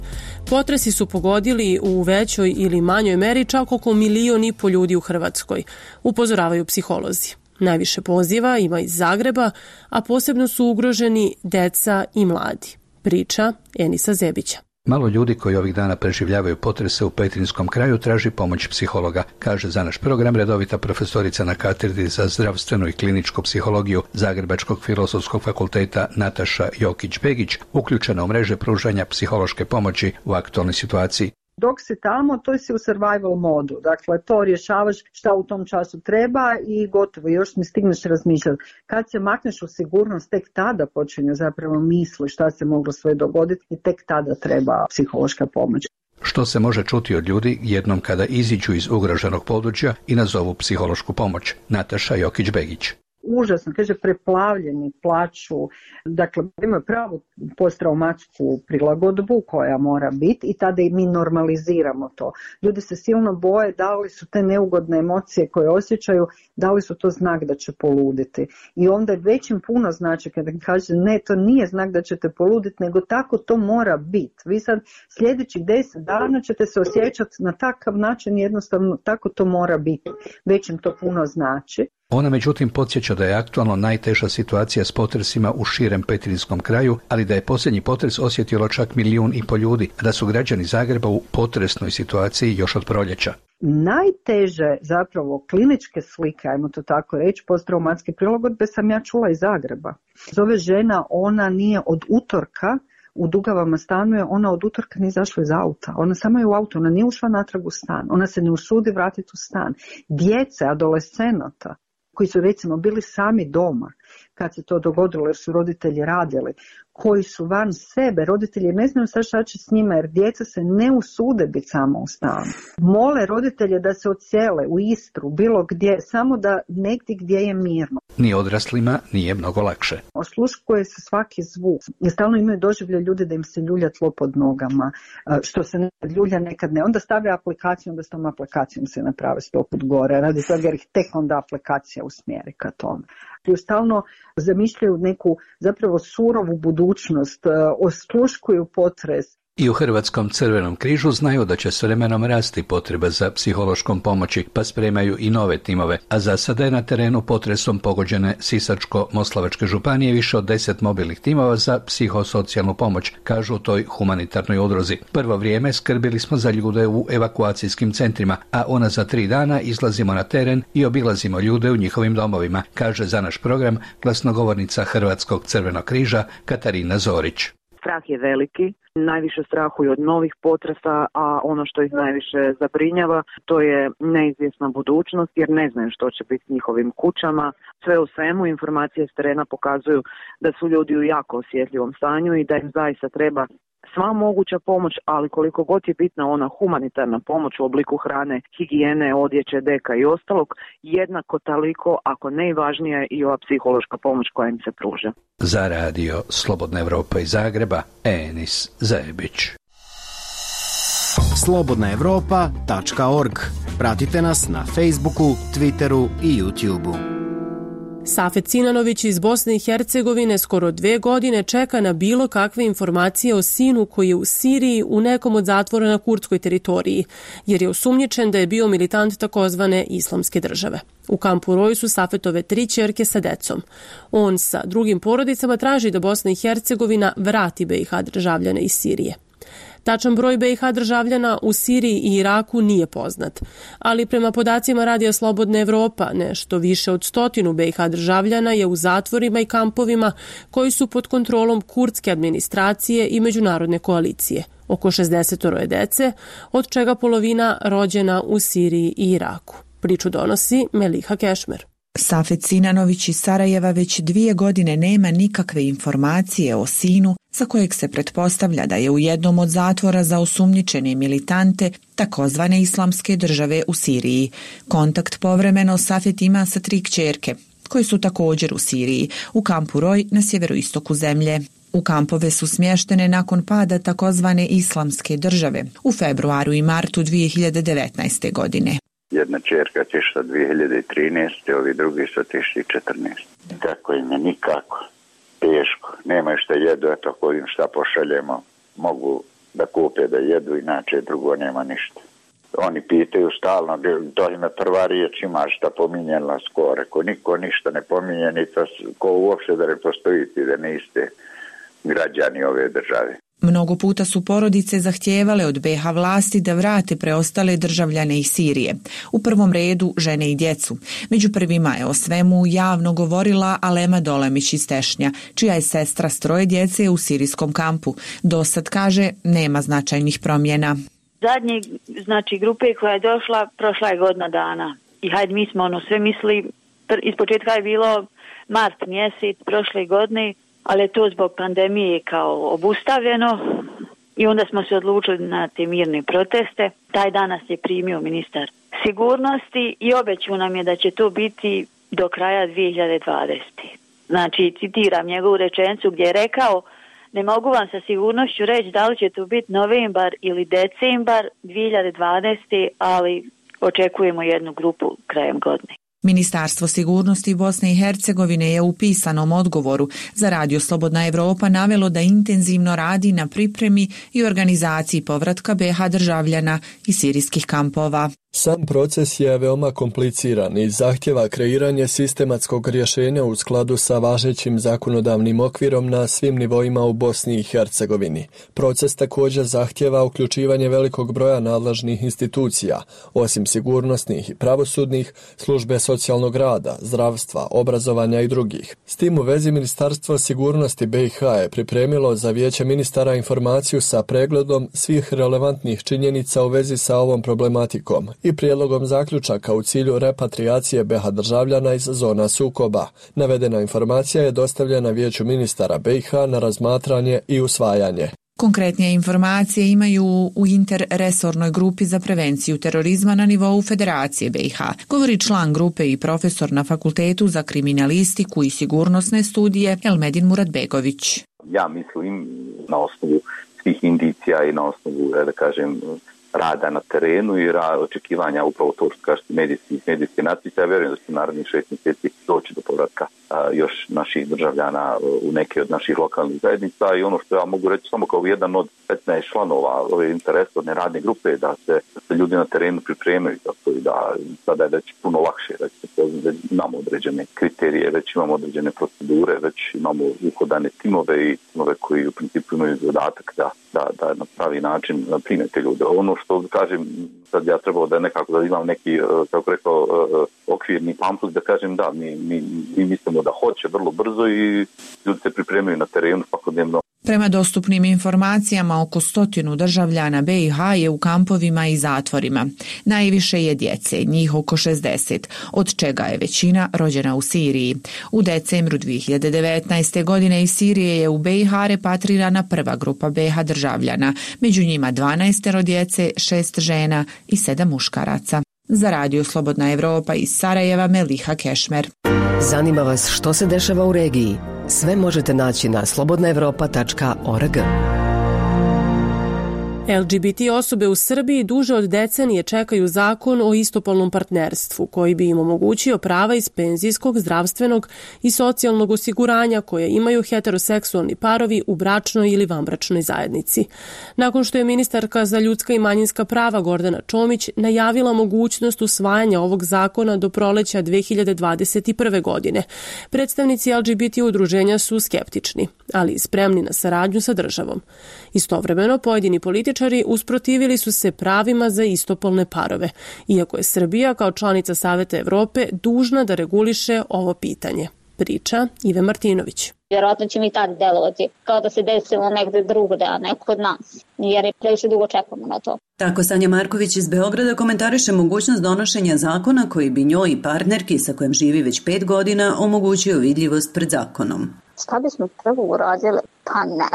potresi su pogodili u većoj ili manjoj meri čak oko 1,5 miliona ljudi u Hrvatskoj, upozoravaju psiholozi. Najviše poziva ima iz Zagreba, a posebno su ugroženi deca i mladi. Priča Enisa Zebića. Malo ljudi koji ovih dana preživljavaju potrese u Petrinjskom kraju traži pomoć psihologa, kaže za naš program redovita profesorica na katedri za zdravstvenu i kliničku psihologiju Zagrebačkog filozofskog fakulteta Nataša Jokić-Begić, uključena u mreže pružanja psihološke pomoći u aktualnoj situaciji. Dok si tamo, to si u survival modu. Dakle, to rješavaš šta u tom času treba i gotovo, još ne stigneš razmišljati. Kad se makneš u sigurnost, tek tada počinju zapravo misli šta se moglo sve dogoditi i tek tada treba psihološka pomoć. Što se može čuti od ljudi jednom kada iziđu iz ugroženog područja i nazovu psihološku pomoć? Nataša Jokić-Begić. Užasno, kaže, preplavljeni, plaču, dakle imaju pravu posttraumatsku prilagodbu koja mora biti i tada i mi normaliziramo to. Ljudi se silno boje da li su te neugodne emocije koje osjećaju, da li su to znak da će poluditi. I onda već im puno znači kada kaže ne, to nije znak da ćete poluditi, nego tako to mora biti. Vi sad sljedećih 10 dana ćete se osjećati na takav način, jednostavno tako to mora biti. Već im to puno znači. Ona međutim podsjeća da je aktualno najteža situacija s potresima u širem Petrinjskom kraju, ali da je posljednji potres osjetilo čak 1,5 miliona ljudi, da su građani Zagreba u potresnoj situaciji još od proljeća. Najteže zapravo kliničke slike, ajmo to tako reći, posttraumatske prilagodbe sam ja čula iz Zagreba. Zove žena, ona nije od utorka u Dugavama stanuje, ona od utorka nije izašla iz auta. Ona samo je u auto, ona nije ušla natrag u stan. Ona se ne usudi vratiti u stan. Djece, adolescenata, koji su recimo bili sami doma kad se to dogodilo jer su roditelji radili, koji su van sebe, roditelji ne znaju sad šta će s njima jer djeca se ne usude biti samo u stanu. Mole roditelje da se odsele u Istru, bilo gdje, samo da negdje gdje je mirno. Ni odraslima nije mnogo lakše. Osluškuje se svaki zvuk. I stalno imaju doživlje ljudi da im se ljulja tlo pod nogama, što se nekad ljulja, nekad ne. Onda stave aplikaciju, onda s tom aplikacijom se naprave 100 put gore. Radi toga jer ih tek onda aplikacija usmjeri ka tome. I stalno zamišljaju neku zapravo surovu budućnost, osluškuju potres. I u Hrvatskom Crvenom križu znaju da će s vremenom rasti potreba za psihološkom pomoći, pa spremaju i nove timove, a za sada je na terenu potresom pogođene Sisačko-Moslavačke županije više od 10 mobilnih timova za psihosocijalnu pomoć, kažu u toj humanitarnoj udruzi. Prvo vrijeme skrbili smo za ljude u evakuacijskim centrima, a ona za 3 dana izlazimo na teren i obilazimo ljude u njihovim domovima, kaže za naš program glasnogovornica Hrvatskog Crvenog križa Katarina Zorić. Strah je veliki, najviše strahuju od novih potresa, a ono što ih najviše zabrinjava to je neizvjesna budućnost jer ne znaju što će biti s njihovim kućama. Sve u svemu informacije s terena pokazuju da su ljudi u jako osjetljivom stanju i da im zaista treba sva moguća pomoć, ali koliko god je bitna ona humanitarna pomoć u obliku hrane, higijene, odjeće, deka i ostalog, jednako toliko, ako ne i važnija, je i ova psihološka pomoć koja im se pruža. Za radio Slobodna Evropa iz Zagreba, Enis Zajebić. slobodnaevropa.org. Pratite nas na Facebooku, Twitteru i YouTubeu. Safet Sinanović iz Bosne i Hercegovine skoro 2 godine čeka na bilo kakve informacije o sinu koji je u Siriji u nekom od zatvora na kurdskoj teritoriji, jer je osumnjičen da je bio militant takozvane Islamske države. U kampu Roj su Safetove 3 ćerke sa decom. On sa drugim porodicama traži da Bosna i Hercegovina vrati BiH državljane iz Sirije. Tačan broj BiH državljana u Siriji i Iraku nije poznat, ali prema podacima Radija Slobodna Evropa, nešto više od 100 BiH državljana je u zatvorima i kampovima koji su pod kontrolom kurdske administracije i međunarodne koalicije. Oko 60 dece, od čega polovina rođena u Siriji i Iraku. Priču donosi Meliha Kešmer. Safet Sinanović iz Sarajeva već 2 godine nema nikakve informacije o sinu za kojeg se pretpostavlja da je u jednom od zatvora za osumnjičene militante takozvane Islamske države u Siriji. Kontakt povremeno Safet ima sa 3 kćerke, koje su također u Siriji, u kampu Roj na sjeveroistoku zemlje. U kampove su smještene nakon pada takozvane Islamske države u februaru i martu 2019. godine. Jedna čerka otišla 2013. Ovi drugi su otišli 2014. Kako im je nikako. Teško. Nemaju što jedu, eto ako im šta pošaljemo, mogu da kupe da jedu, inače drugo nema ništa. Oni pitaju stalno, to im je prva riječ, imaš šta pominjala skoro. Ko niko ništa ne pominje, ni to, ko uopšte da ne postojite, da niste građani ove države. Mnogo puta su porodice zahtijevale od BiH vlasti da vrate preostale državljane iz Sirije. U prvom redu žene i djecu. Među prvima je o svemu javno govorila Alema Dolemić iz Tešnja, čija je sestra s 3 djece u sirijskom kampu. Dosad, kaže, nema značajnih promjena. Zadnje, grupe koja je došla, prošla je godina dana. I hajde, mi smo sve mislili, ispočetka je bilo mart mjesec prošle godine, ali je to zbog pandemije kao obustavljeno i onda smo se odlučili na te mirne proteste. Taj dan nas je primio ministar sigurnosti i obećao nam je da će to biti do kraja 2020. Znači, citiram njegovu rečenicu gdje je rekao: ne mogu vam sa sigurnošću reći da li će to biti novembar ili decembar 2020. ali očekujemo jednu grupu krajem godine. Ministarstvo sigurnosti Bosne i Hercegovine je u pisanom odgovoru za Radio Slobodna Evropa navelo da intenzivno radi na pripremi i organizaciji povratka BiH državljana iz sirijskih kampova. Sam proces je veoma kompliciran i zahtjeva kreiranje sistematskog rješenja u skladu sa važećim zakonodavnim okvirom na svim nivoima u Bosni i Hercegovini. Proces također zahtjeva uključivanje velikog broja nadležnih institucija, osim sigurnosnih i pravosudnih, službe socijalnog rada, zdravstva, obrazovanja i drugih. S tim u vezi Ministarstvo sigurnosti BiH je pripremilo za Vijeće ministara informaciju sa pregledom svih relevantnih činjenica u vezi sa ovom problematikom i prijedlogom zaključaka u cilju repatriacije BiH državljana iz zona sukoba. Navedena informacija je dostavljena Vijeću ministara BiH na razmatranje i usvajanje. Konkretnije informacije imaju u interresornoj grupi za prevenciju terorizma na nivou Federacije BiH, govori član grupe i profesor na Fakultetu za kriminalistiku i sigurnosne studije Elmedin Muratbegović. Ja mislim na osnovu svih indicija i na osnovu, da kažem, rada na terenu i očekivanja upravo to što kažete medijske natpise. Ja vjerujem da će narednih 6 mjeseci doći do povratka još naših državljana u neke od naših lokalnih zajednica i ono što ja mogu reći samo kao jedan od 15 članova ove interesorne radne grupe da se ljudi na terenu pripremaju tako i da sada je već puno lakše, već imamo određene kriterije, već imamo određene procedure, već imamo uhodane timove i timove koji u principu imaju zadatak da na pravi način prime te ljude. Ono što kažem, sad ja trebao da nekako da imam neki, kako rekao, okvirni pamflet da kažem da, mi mislimo vidimo da hoće vrlo brzo i ljudi se pripremaju na terenu svakodnevno. Prema dostupnim informacijama, oko 100 državljana BiH je u kampovima i zatvorima. Najviše je djece, njih oko 60, od čega je većina rođena u Siriji. U decembru 2019. godine iz Sirije je u BiH repatrirana prva grupa BiH državljana, među njima 12 djece, 6 žena i 7 muškaraca. Za Radio Slobodna Evropa iz Sarajeva, Meliha Kešmer. Zanima vas što se dešava u regiji? Sve možete naći na slobodnaevropa.org. LGBT osobe u Srbiji duže od decenije čekaju zakon o istopolnom partnerstvu koji bi im omogućio prava iz penzijskog, zdravstvenog i socijalnog osiguranja koje imaju heteroseksualni parovi u bračnoj ili vanbračnoj zajednici. Nakon što je ministarka za ljudska i manjinska prava Gordana Čomić najavila mogućnost usvajanja ovog zakona do proleća 2021. godine, predstavnici LGBT udruženja su skeptični, ali spremni na saradnju sa državom. Istovremeno, pojedini političari usprotivili su se pravima za istopolne parove, iako je Srbija kao članica Saveta Evrope dužna da reguliše ovo pitanje. Priča Ive Martinović. Vjerojatno će mi tad delovati kao da se desilo negde drugde, a ne kod nas, jer je previše dugo čekamo na to. Tako Sanja Marković iz Beograda komentariše mogućnost donošenja zakona koji bi njoj i partnerki sa kojim živi već 5 godina omogućio vidljivost pred zakonom. Šta bismo prvo uradili? Pa ne.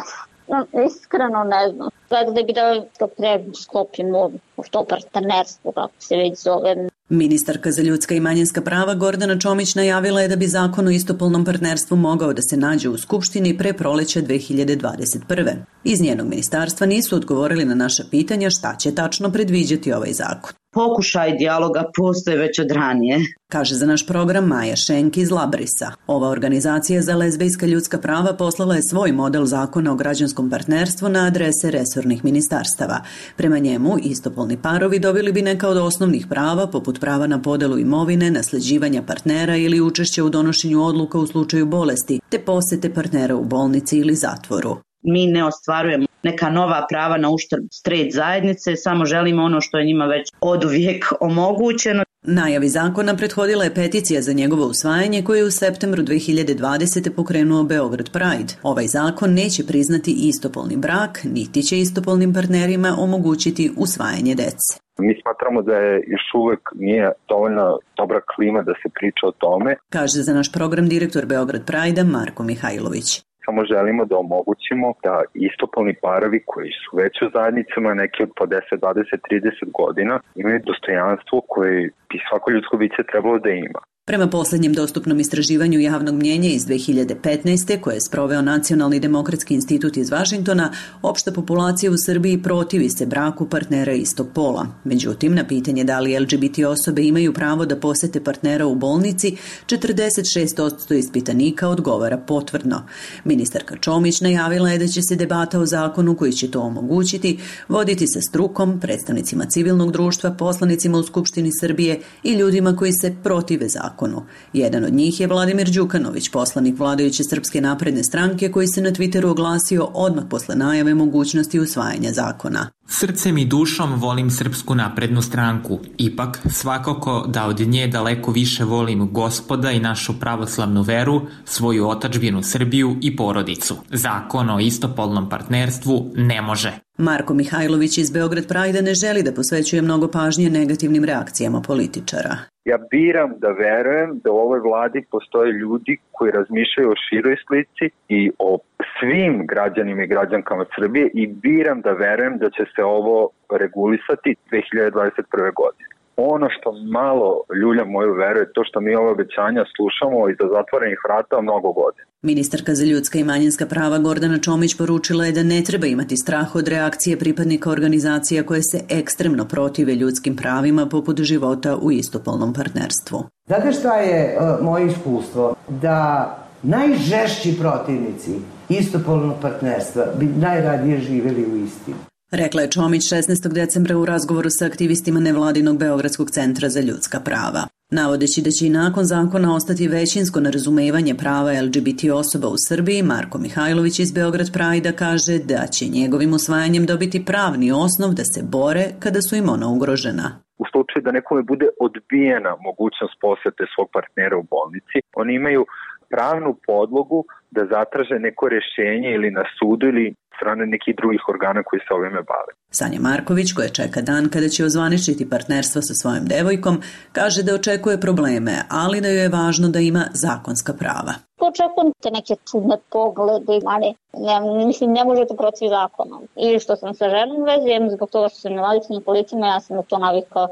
Iskreno ne znam. Gledali bi da pre sklopimo to partnerstvo, kako se već zove. Ministarka za ljudska i manjinska prava Gordana Čomić najavila je da bi zakon o istopolnom partnerstvu mogao da se nađe u Skupštini pre proleća 2021. Iz njenog ministarstva nisu odgovorili na naša pitanja šta će tačno predviđati ovaj zakon. Pokušaj dijaloga postoje već od ranije, kaže za naš program Maja Šenk iz Labrisa. Ova organizacija za lezbejska ljudska prava poslala je svoj model zakona o građanskom partnerstvu na adrese resornih ministarstava. Prema njemu, istopolni parovi dobili bi neka od osnovnih prava, poput prava na podelu imovine, nasleđivanja partnera ili učešća u donošenju odluka u slučaju bolesti, te posete partnera u bolnici ili zatvoru. Mi ne ostvarujemo neka nova prava na uštrb straight zajednice, samo želimo ono što je njima već oduvijek omogućeno. Najavi zakona prethodila je peticija za njegovo usvajanje koje je u septembru 2020. pokrenuo Beograd Pride. Ovaj zakon neće priznati istopolni brak, niti će istopolnim partnerima omogućiti usvajanje dece. Mi smatramo da je još uvek nije dovoljno dobra klima da se priča o tome, kaže za naš program direktor Beograd Pride Marko Mihajlović. Samo želimo da omogućimo da istopolni parovi koji su već u zajednicama, neki od po 10, 20, 30 godina, imaju dostojanstvo koje bi svako ljudsko biće trebalo da ima. Prema posljednjem dostupnom istraživanju javnog mnjenja iz 2015. koje je sproveo Nacionalni demokratski institut iz Vašingtona, opšta populacija u Srbiji protivi se braku partnera istog pola. Međutim, na pitanje da li LGBT osobe imaju pravo da posete partnera u bolnici, 46% ispitanika odgovara potvrdno. Ministarka Čomić najavila je da će se debata o zakonu koji će to omogućiti voditi sa strukom, predstavnicima civilnog društva, poslanicima u Skupštini Srbije i ljudima koji se protive zakonu. Jedan od njih je Vladimir Đukanović, poslanik vladajuće Srpske napredne stranke koji se na Twitteru oglasio odmah posle najave mogućnosti usvajanja zakona. Srcem i dušom volim Srpsku naprednu stranku. Ipak, svakako da od nje daleko više volim Gospoda i našu pravoslavnu veru, svoju otadžbinu Srbiju i porodicu. Zakon o istopolnom partnerstvu ne može. Marko Mihajlović iz Beograd Pride ne želi da posvećuje mnogo pažnje negativnim reakcijama političara. Ja biram da verujem da u ovoj vladi postoje ljudi koji razmišljaju o široj slici i o svim građanima i građankama Srbije i biram da verujem da će se ovo regulisati 2021. godine. Ono što malo ljulja moju veru je to što mi ove obećanja slušamo iza zatvorenih vrata mnogo godina. Ministarka za ljudska i manjinska prava Gordana Čomić poručila je da ne treba imati strah od reakcije pripadnika organizacija koje se ekstremno protive ljudskim pravima poput života u istopolnom partnerstvu. Znate šta je moje iskustvo? Da najžešći protivnici istopolnog partnerstva bi najradije živjeli u istini. Rekla je Čomić 16. decembra u razgovoru sa aktivistima nevladinog Beogradskog centra za ljudska prava. Navodeći da će i nakon zakona ostati većinsko nerazumevanje prava LGBT osoba u Srbiji, Marko Mihajlović iz Beograd Pride kaže da će njegovim usvajanjem dobiti pravni osnov da se bore kada su im ona ugrožena. U slučaju da nekome bude odbijena mogućnost posete svog partnera u bolnici, oni imaju pravnu podlogu da zatraže neko rješenje ili na sudu ili strane nekih drugih organa koji se ovime bave. Sanja Marković, koja čeka dan kada će ozvaničiti partnerstvo sa svojom devojkom, kaže da očekuje probleme, ali da joj je važno da ima zakonska prava. Očekujem te neke čudne poglede, ali ne može to proći zakonom. Ili što sam sa ženom vezujem, zbog toga što sam invalidska na kolicima, ja sam na to navikla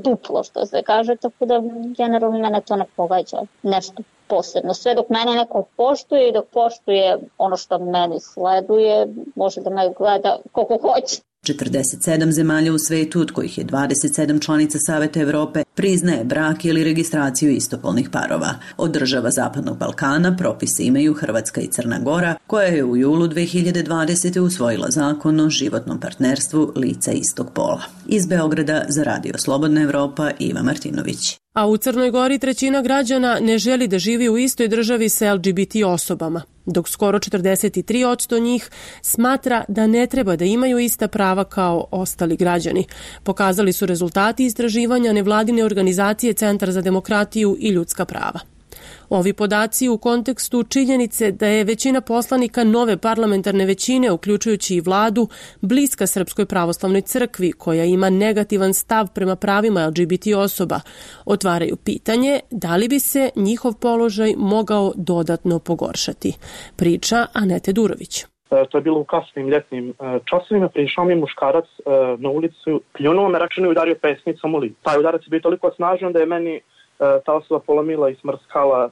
duplo, što se kaže, tako da generalno mene to ne pogađa nešto posebno. Sve dok mene neko poštuje i dok poštuje ono što meni sleduje, može da me gleda koliko hoće. 47 zemalja u svetu, od kojih je 27 članica Saveta Evrope, priznaje brak ili registraciju istopolnih parova. Od država Zapadnog Balkana propise imaju Hrvatska i Crna Gora, koja je u julu 2020. usvojila zakon o životnom partnerstvu lica istog pola. Iz Beograda za Radio Slobodna Evropa, Iva Martinović. A u Crnoj Gori 1/3 građana ne želi da živi u istoj državi sa LGBT osobama, dok skoro 43% njih smatra da ne treba da imaju ista prava kao ostali građani. Pokazali su rezultati istraživanja nevladine organizacije Centar za demokratiju i ljudska prava. Ovi podaci u kontekstu činjenice da je većina poslanika nove parlamentarne većine, uključujući i vladu, bliska Srpskoj pravoslavnoj crkvi, koja ima negativan stav prema pravima LGBT osoba, otvaraju pitanje da li bi se njihov položaj mogao dodatno pogoršati. Priča Anete Durović. To je bilo u kasnim ljetnim časovima, prišao mi muškarac na ulicu, pljunuo me, rečeno i udario pesnicom u lice. Taj udarac je bio toliko snažan da je meni ta osoba polomila i smrskala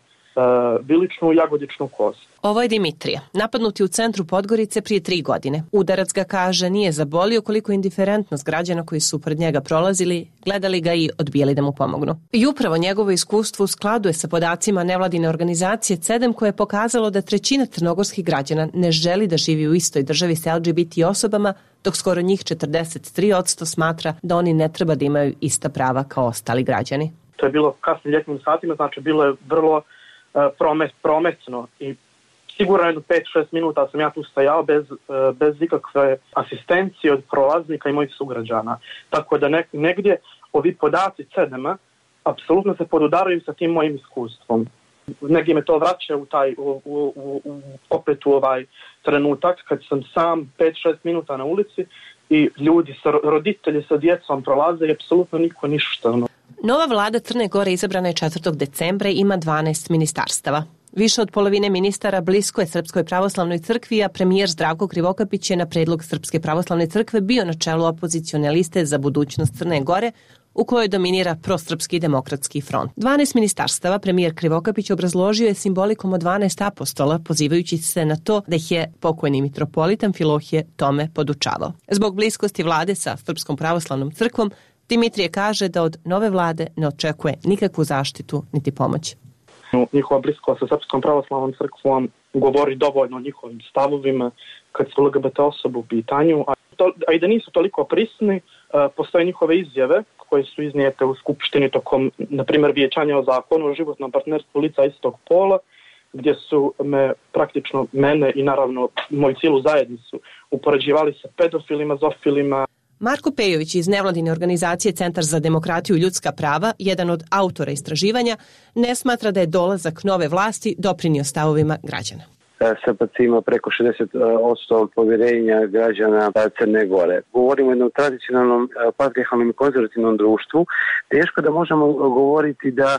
biličnu i jagodičnu kost. Ovo je Dimitrija, napadnut je u centru Podgorice prije 3 godine. Udarac ga, kaže, nije zabolio koliko indiferentnost građana koji su pred njega prolazili, gledali ga i odbijali da mu pomognu. I upravo njegovo iskustvo u skladu je sa podacima nevladine organizacije CEDEM, koje je pokazalo da 1/3 crnogorskih građana ne želi da živi u istoj državi sa LGBT osobama, dok skoro njih 43% smatra da oni ne treba da imaju ista prava kao ostali građani. To je bilo kasnim ljetnim satima, znači bilo je vrlo prometno i sigurno jedno 5-6 minuta sam ja tu stajao bez ikakve asistencije od prolaznika i mojih sugrađana. Tako da negdje ovi podaci CEDEM-a apsolutno se podudaraju sa tim mojim iskustvom. Negdje me to vraća opet u ovaj trenutak kad sam sam 5-6 minuta na ulici i ljudi, roditelji sa djecom prolaze i apsolutno niko ništa. Nova vlada Crne Gore izabrana je 4. decembra i ima 12 ministarstava. Više od polovine ministara blisko je Srpskoj pravoslavnoj crkvi, a premijer Zdravko Krivokapić je na predlog Srpske pravoslavne crkve bio na čelu opozicione liste za budućnost Crne Gore, u kojoj dominira prosrpski demokratski front. 12 ministarstava premijer Krivokapić obrazložio je simbolikom od 12 apostola, pozivajući se na to da ih je pokojni mitropolit Amfilohije tome podučavao. Zbog bliskosti vlade sa Srpskom pravoslavnom crkvom, Dimitrije kaže da od nove vlade ne očekuje nikakvu zaštitu niti pomoć. Njihova bliskost sa Srpskom pravoslavnom crkvom govori dovoljno o njihovim stavovima kad su LGBT osobe u pitanju, a i da nisu toliko prisni, postoje njihove izjave koje su iznijete u Skupštini tokom, na primjer, vijećanja o zakonu o životnom partnerstvu lica istog pola, gdje su praktično mene i naravno moju cijelu zajednicu upoređivali sa pedofilima, zofilima. Marko Pejović iz nevladine organizacije Centar za demokratiju i ljudska prava, jedan od autora istraživanja, ne smatra da je dolazak nove vlasti doprinio stavovima građana. SPC ima preko 60% povjerenja građana Crne Gore. Govorimo o jednom tradicionalnom, patrijarhalnom i konzervativnom društvu. Teško da možemo govoriti da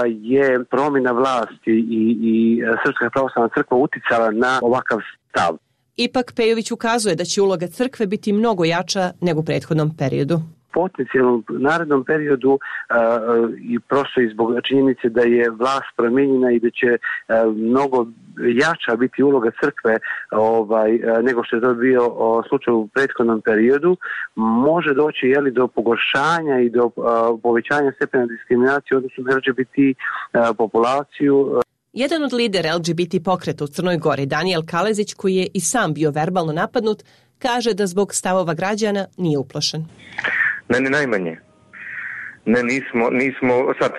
je promjena vlasti i Srpska pravoslavna crkva uticala na ovakav stav. Ipak Pejović ukazuje da će uloga crkve biti mnogo jača nego u prethodnom periodu. Potencijalnom narednom periodu i prosto i zbog činjenice da je vlast promijenjena i da će mnogo jača biti uloga crkve nego što je to bio slučaj u prethodnom periodu, može doći do pogoršanja i do povećanja stepena diskriminacije odnosno na LGBT populaciju. Jedan od lidera LGBT pokreta u Crnoj Gori, Danijel Kalezić, koji je i sam bio verbalno napadnut, kaže da zbog stavova građana nije uplašen. Ne, najmanje. Ne, nismo, sad,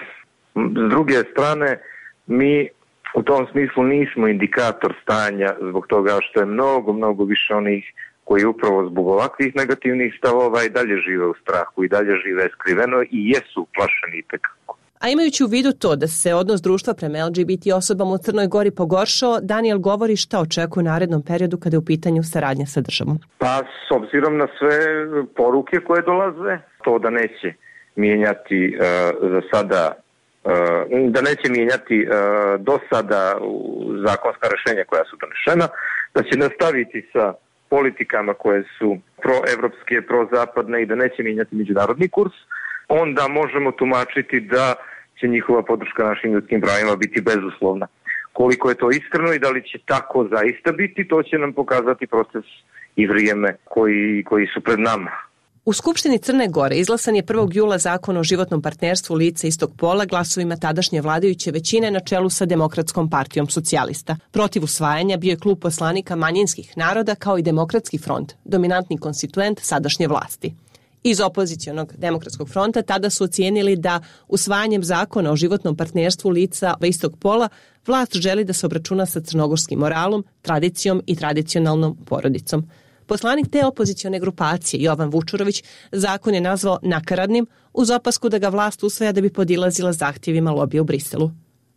s druge strane, mi u tom smislu nismo indikator stanja zbog toga što je mnogo više onih koji upravo zbog ovakvih negativnih stavova i dalje žive u strahu i dalje žive skriveno i jesu uplašeni itekako. A imajući u vidu to da se odnos društva prema LGBT osobama u Crnoj Gori pogoršao, Daniel govori šta očekuje u narednom periodu kada je u pitanju saradnja sa državom. Pa s obzirom na sve poruke koje dolaze, to da neće mijenjati za sada, da neće mijenjati do sada zakonska rješenja koja su donešena, da će nastaviti sa politikama koje su proevropske, prozapadne i da neće mijenjati međunarodni kurs, onda možemo tumačiti da će njihova podrška našim ljudskim pravima biti bezuslovna. Koliko je to iskreno i da li će tako zaista biti, to će nam pokazati proces i vrijeme koji su pred nama. U Skupštini Crne Gore izglasan je 1. jula zakon o životnom partnerstvu lica istog pola glasovima tadašnje vladajuće većine na čelu sa Demokratskom partijom socijalista. Protiv usvajanja bio je klub poslanika manjinskih naroda kao i Demokratski front, dominantni konstituent sadašnje vlasti. Iz opozicionog Demokratskog fronta tada su ocijenili da usvajanjem zakona o životnom partnerstvu lica istog pola vlast želi da se obračuna sa crnogorskim moralom, tradicijom i tradicionalnom porodicom. Poslanik te opozicione grupacije Jovan Vučurović zakon je nazvao nakaradnim uz opasku da ga vlast usvaja da bi podilazila zahtjevima lobija u Briselu.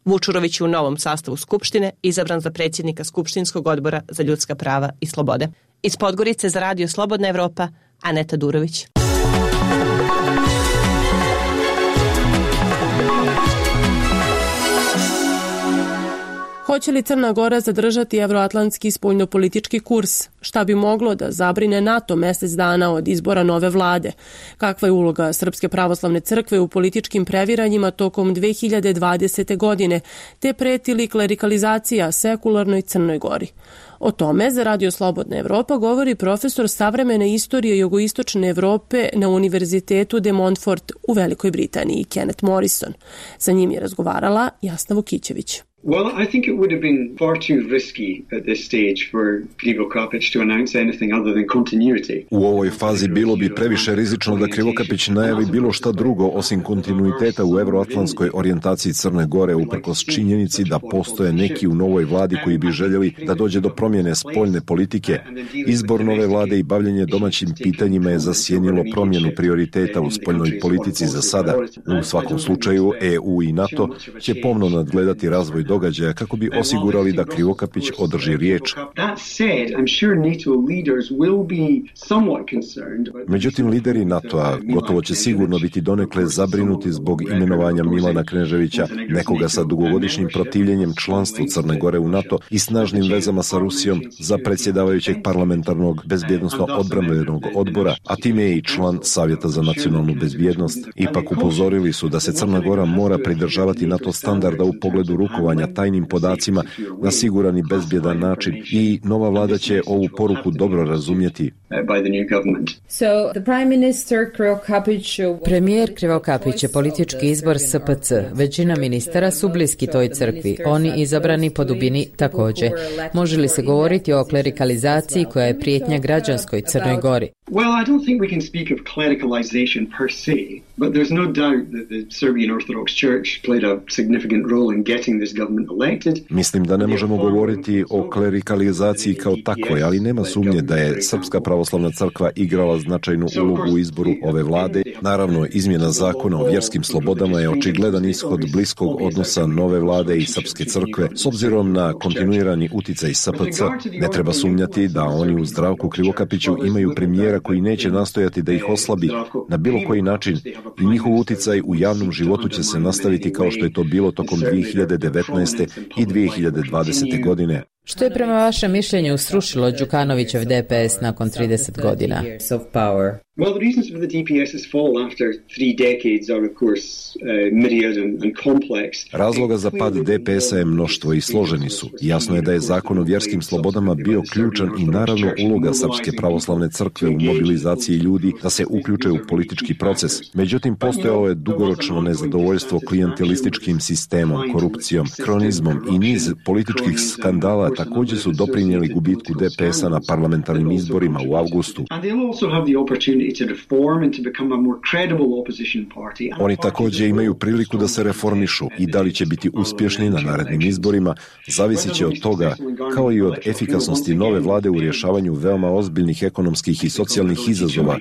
Vučurović je u novom sastavu Skupštine izabran za predsjednika Skupštinskog odbora za ljudska prava i slobode. Iz Podgorice za Radio Slobodna Evropa, Aneta Durović. Hoće li Crna Gora zadržati evroatlantski spoljnopolitički kurs? Šta bi moglo da zabrine NATO mjesec dana od izbora nove vlade? Kakva je uloga Srpske pravoslavne crkve u političkim previranjima tokom 2020. godine, te preti li klerikalizacija sekularnoj Crnoj Gori? O tome za Radio Slobodna Evropa govori profesor savremene istorije jugoistočne Evrope na Univerzitetu de Montfort u Velikoj Britaniji, Kenneth Morrison. Sa njim je razgovarala Jasna Vukićević. Well, I think it would have been far too risky at this stage for Krivokapić to announce anything other than continuity. U ovoj fazi bilo bi previše rizično da Krivokapić najavi bilo šta drugo osim kontinuiteta u evroatlantskoj orijentaciji Crne Gore uprkos činjenici da postoje neki u novoj vladi koji bi željeli da dođe do promjene spoljne politike. Izbor nove vlade i bavljenje domaćim pitanjima je zasjenilo promjenu prioriteta u spoljnoj politici za sada. U svakom slučaju EU i NATO će pomno nadgledati razvoj događaja kako bi osigurali da Krivokapić održi riječ. Međutim, lideri NATO-a gotovo će sigurno biti donekle zabrinuti zbog imenovanja Milana Kneževića, nekoga sa dugogodišnjim protivljenjem članstvu Crne Gore u NATO i snažnim vezama sa Rusijom za predsjedavajućeg parlamentarnog bezbjednosno-odbrambenog odbora, a time je i član Savjeta za nacionalnu bezbjednost. Ipak upozorili su da se Crna Gora mora pridržavati NATO standarda u pogledu rukovanja tajnim podacima na siguran i bezbjedan način i nova vlada će ovu poruku dobro razumjeti. Premijer Krivokapić je politički izbor SPC. Većina ministara su bliski toj crkvi. Oni izabrani po dubini također. Može li se govoriti o klerikalizaciji koja je prijetnja građanskoj Crnoj Gori? Well, I don't think we can speak of clericalization per se, but there's no doubt that the Serbian Orthodox Church played a significant role in getting this government elected. Mislim da ne možemo govoriti o klerikalizaciji kao takvoj, ali nema sumnje da je Srpska pravoslavna crkva igrala značajnu ulogu u izboru ove vlade. Naravno, izmjena zakona o vjerskim slobodama je očigledan ishod bliskog odnosa nove vlade i Srpske crkve. S obzirom na kontinuirani uticaj SPC, ne treba sumnjati da oni u Zdravku Krivokapiću imaju premijera koji neće nastojati da ih oslabi na bilo koji način i njihov uticaj u javnom životu će se nastaviti kao što je to bilo tokom 2019. i 2020. godine. Što je prema vašem mišljenju srušilo Đukanovićev DPS nakon 30 godina? Well, the reasons for the DPS's fall after 3 decades are, of course, myriad and complex. Razloga za pad DPS-a je mnoštvo i složeni su. Jasno je da je zakon o vjerskim slobodama bio ključan i naravno uloga Srpske pravoslavne crkve u mobilizaciji ljudi da se uključe u politički proces. Međutim, postojalo je dugoročno nezadovoljstvo klijentelističkim sistemom, korupcijom, kronizmom i niz političkih skandala također su doprinijeli gubitku DPS-a na parlamentarnim izborima u avgustu. Oni također imaju priliku da se reformišu i da li će biti uspješni na narednim izborima zavisit će od toga, kao i od efikasnosti nove vlade u rješavanju veoma ozbiljnih ekonomskih i socijalnih izazova.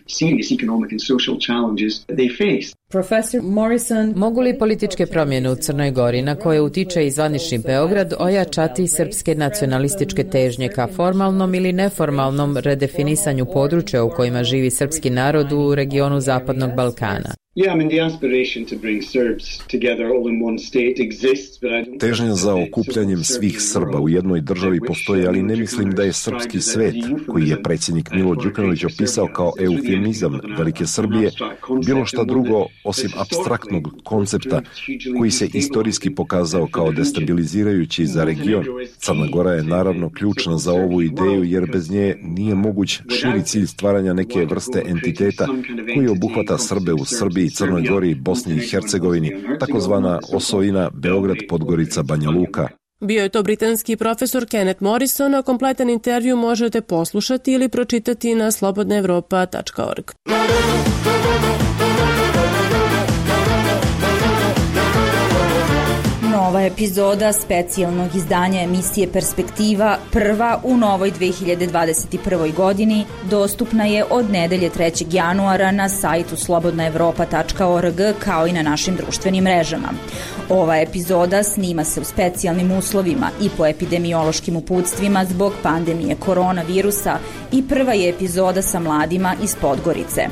Profesor Morrison, mogu li političke promjene u Crnoj Gori, na koje utiče i zvanični Beograd, ojačati srpske nacionalističke težnje ka formalnom ili neformalnom redefinisanju područja u kojima živi srpski narod u regionu Zapadnog Balkana? Težnja za okupljanjem svih Srba u jednoj državi postoji, ali ne mislim da je srpski svet, koji je predsjednik Milo Đukanović opisao kao eufemizam Velike Srbije, bilo šta drugo osim apstraktnog koncepta koji se istorijski pokazao kao destabilizirajući za region. Crna Gora je naravno ključna za ovu ideju, jer bez nje nije moguć širi cilj stvaranja neke vrste entiteta koji obuhvata Srbe u Srbiji, Crnoj Gori, Bosni i Hercegovini, takozvana osovina Beograd, Podgorica, Banja Luka. Bio je to britanski profesor Kenneth Morrison, a kompletan intervju možete poslušati ili pročitati na slobodnaevropa.org. Nova epizoda specijalnog izdanja emisije Perspektiva, prva u novoj 2021. godini, dostupna je od nedelje 3. januara na sajtu slobodnaevropa.org kao i na našim društvenim mrežama. Ova epizoda snima se u specijalnim uslovima i po epidemiološkim uputstvima zbog pandemije koronavirusa i prva je epizoda sa mladima iz Podgorice.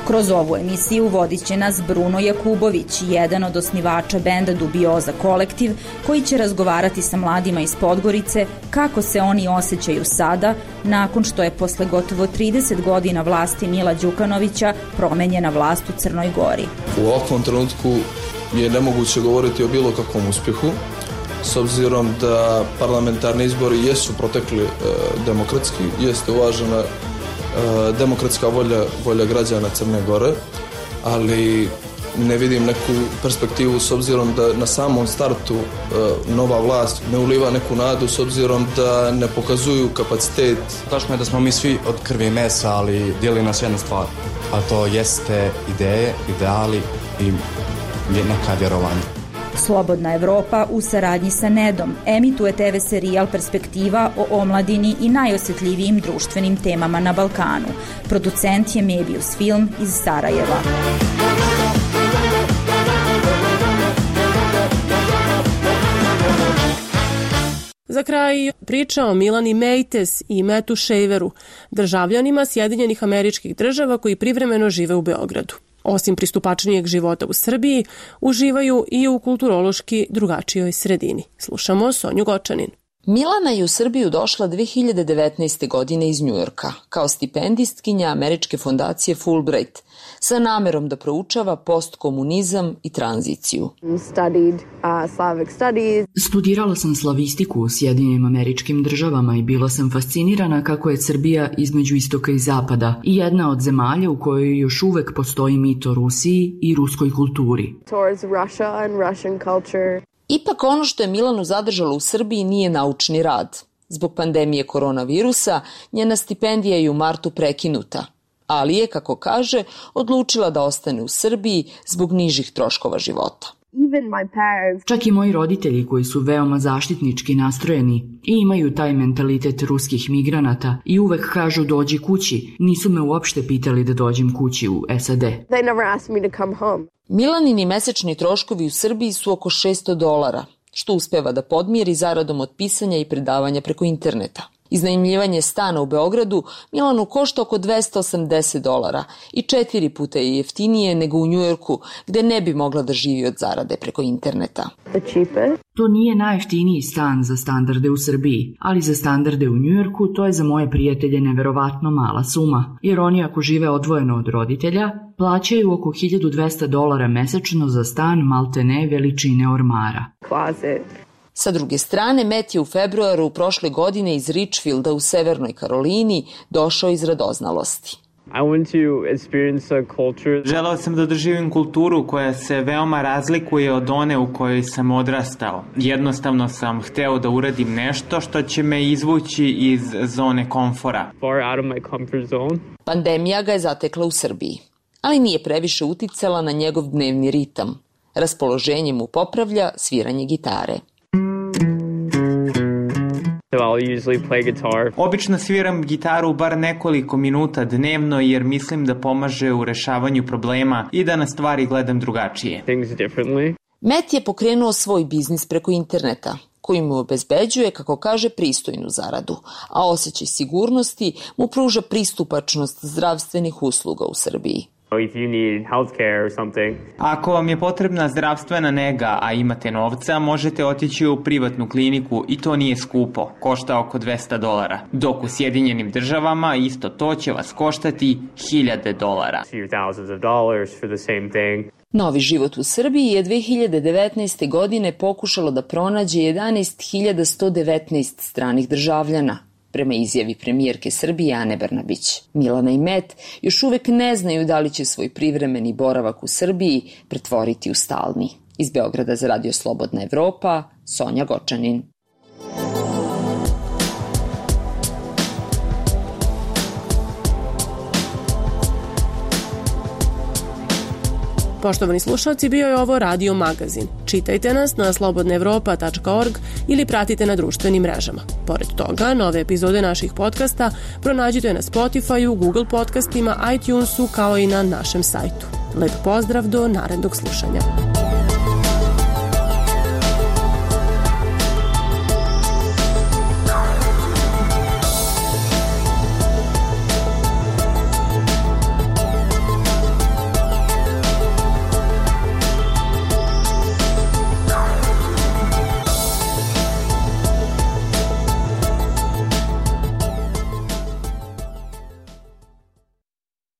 Kroz ovu emisiju vodit će nas Bruno Jakubović, jedan od osnivača benda Dubioza kolektiv, koji će razgovarati sa mladima iz Podgorice kako se oni osjećaju sada, nakon što je posle gotovo 30 godina vlasti Mila Đukanovića promenjena vlast u Crnoj Gori. U ovakvom trenutku je nemoguće govoriti o bilo kakvom uspjehu, s obzirom da parlamentarni izbori jesu protekli demokratski, jeste uvažena demokratska volja građana Crne Gore, ali ne vidim neku perspektivu s obzirom da na samom startu nova vlast ne uliva neku nadu s obzirom da ne pokazuju kapacitet. Tačno je da smo mi svi od krvi i mesa, ali dijeli nas jedna stvar, a to jeste ideje, ideali i neka vjerovanja. Slobodna Evropa u saradnji sa Nedom emituje TV serijal Perspektiva o omladini i najosjetljivijim društvenim temama na Balkanu. Producent je Mebius Film iz Sarajeva. Za kraj priča o Milani Meites i Metu Shaveru, državljanima Sjedinjenih Američkih Država koji privremeno žive u Beogradu. Osim pristupačnijeg života u Srbiji, uživaju i u kulturološki drugačijoj sredini. Slušamo Sonju Gočanin. Milana je u Srbiju došla 2019. godine iz Njujorka kao stipendistkinja američke fondacije Fulbright sa namerom da proučava postkomunizam i tranziciju. Studirala sam slavistiku u Sjedinjenim Američkim Državama i bila sam fascinirana kako je Srbija između istoka i zapada i jedna od zemalja u kojoj još uvek postoji mit o Rusiji i ruskoj kulturi. Ipak ono što je Milanu zadržalo u Srbiji nije naučni rad. Zbog pandemije koronavirusa njena stipendija je u martu prekinuta, ali je, kako kaže, odlučila da ostane u Srbiji zbog nižih troškova života. Čak i moji roditelji koji su veoma zaštitnički nastrojeni i imaju taj mentalitet ruskih migranata i uvek kažu dođi kući, nisu me uopšte pitali da dođem kući u SAD. Milanini mesečni troškovi u Srbiji su oko $600, što uspeva da podmiri zaradom od pisanja i predavanja preko interneta. Iznajmljivanje stana u Beogradu Milanu košta oko $280 i 4 puta je jeftinije nego u Njujorku, gde ne bi mogla da živi od zarade preko interneta. To nije najjeftiniji stan za standarde u Srbiji, ali za standarde u Njujorku to je za moje prijatelje neverovatno mala suma, jer oni ako žive odvojeno od roditelja, plaćaju oko $1200 mesečno za stan maltene veličine ormara. Sa druge strane, Matt je u februaru prošle godine iz Richfielda u Severnoj Karolini došao iz radoznalosti. Želeo sam da doživim kulturu koja se veoma razlikuje od one u kojoj sam odrastao. Jednostavno sam hteo da uradim nešto što će me izvući iz zone komfora. Pandemija ga je zatekla u Srbiji, ali nije previše uticala na njegov dnevni ritam. Raspoloženje mu popravlja sviranje gitare. Obično sviram gitaru bar nekoliko minuta dnevno jer mislim da pomaže u rešavanju problema i da na stvari gledam drugačije. Matt je pokrenuo svoj biznis preko interneta, koji mu obezbeđuje, kako kaže, pristojnu zaradu, a osjećaj sigurnosti mu pruža pristupačnost zdravstvenih usluga u Srbiji. Ako vam je potrebna zdravstvena nega, a imate novca, možete otići u privatnu kliniku i to nije skupo, košta oko $200, dok u Sjedinjenim državama isto to će vas koštati $1,000. Novi život u Srbiji je 2019. godine pokušalo da pronađe 11.119 stranih državljana, prema izjavi premijerke Srbije Ane Brnabić. Milana i Met još uvek ne znaju da li će svoj privremeni boravak u Srbiji pretvoriti u stalni. Iz Beograda za Radio Slobodna Evropa, Sonja Gočanin. Poštovani slušalci, bio je ovo Radio Magazin. Čitajte nas na slobodnaevropa.org ili pratite na društvenim mrežama. Pored toga, nove epizode naših podcasta pronađite na Spotify-u, Google podcastima, iTunesu kao i na našem sajtu. Lep pozdrav do narednog slušanja.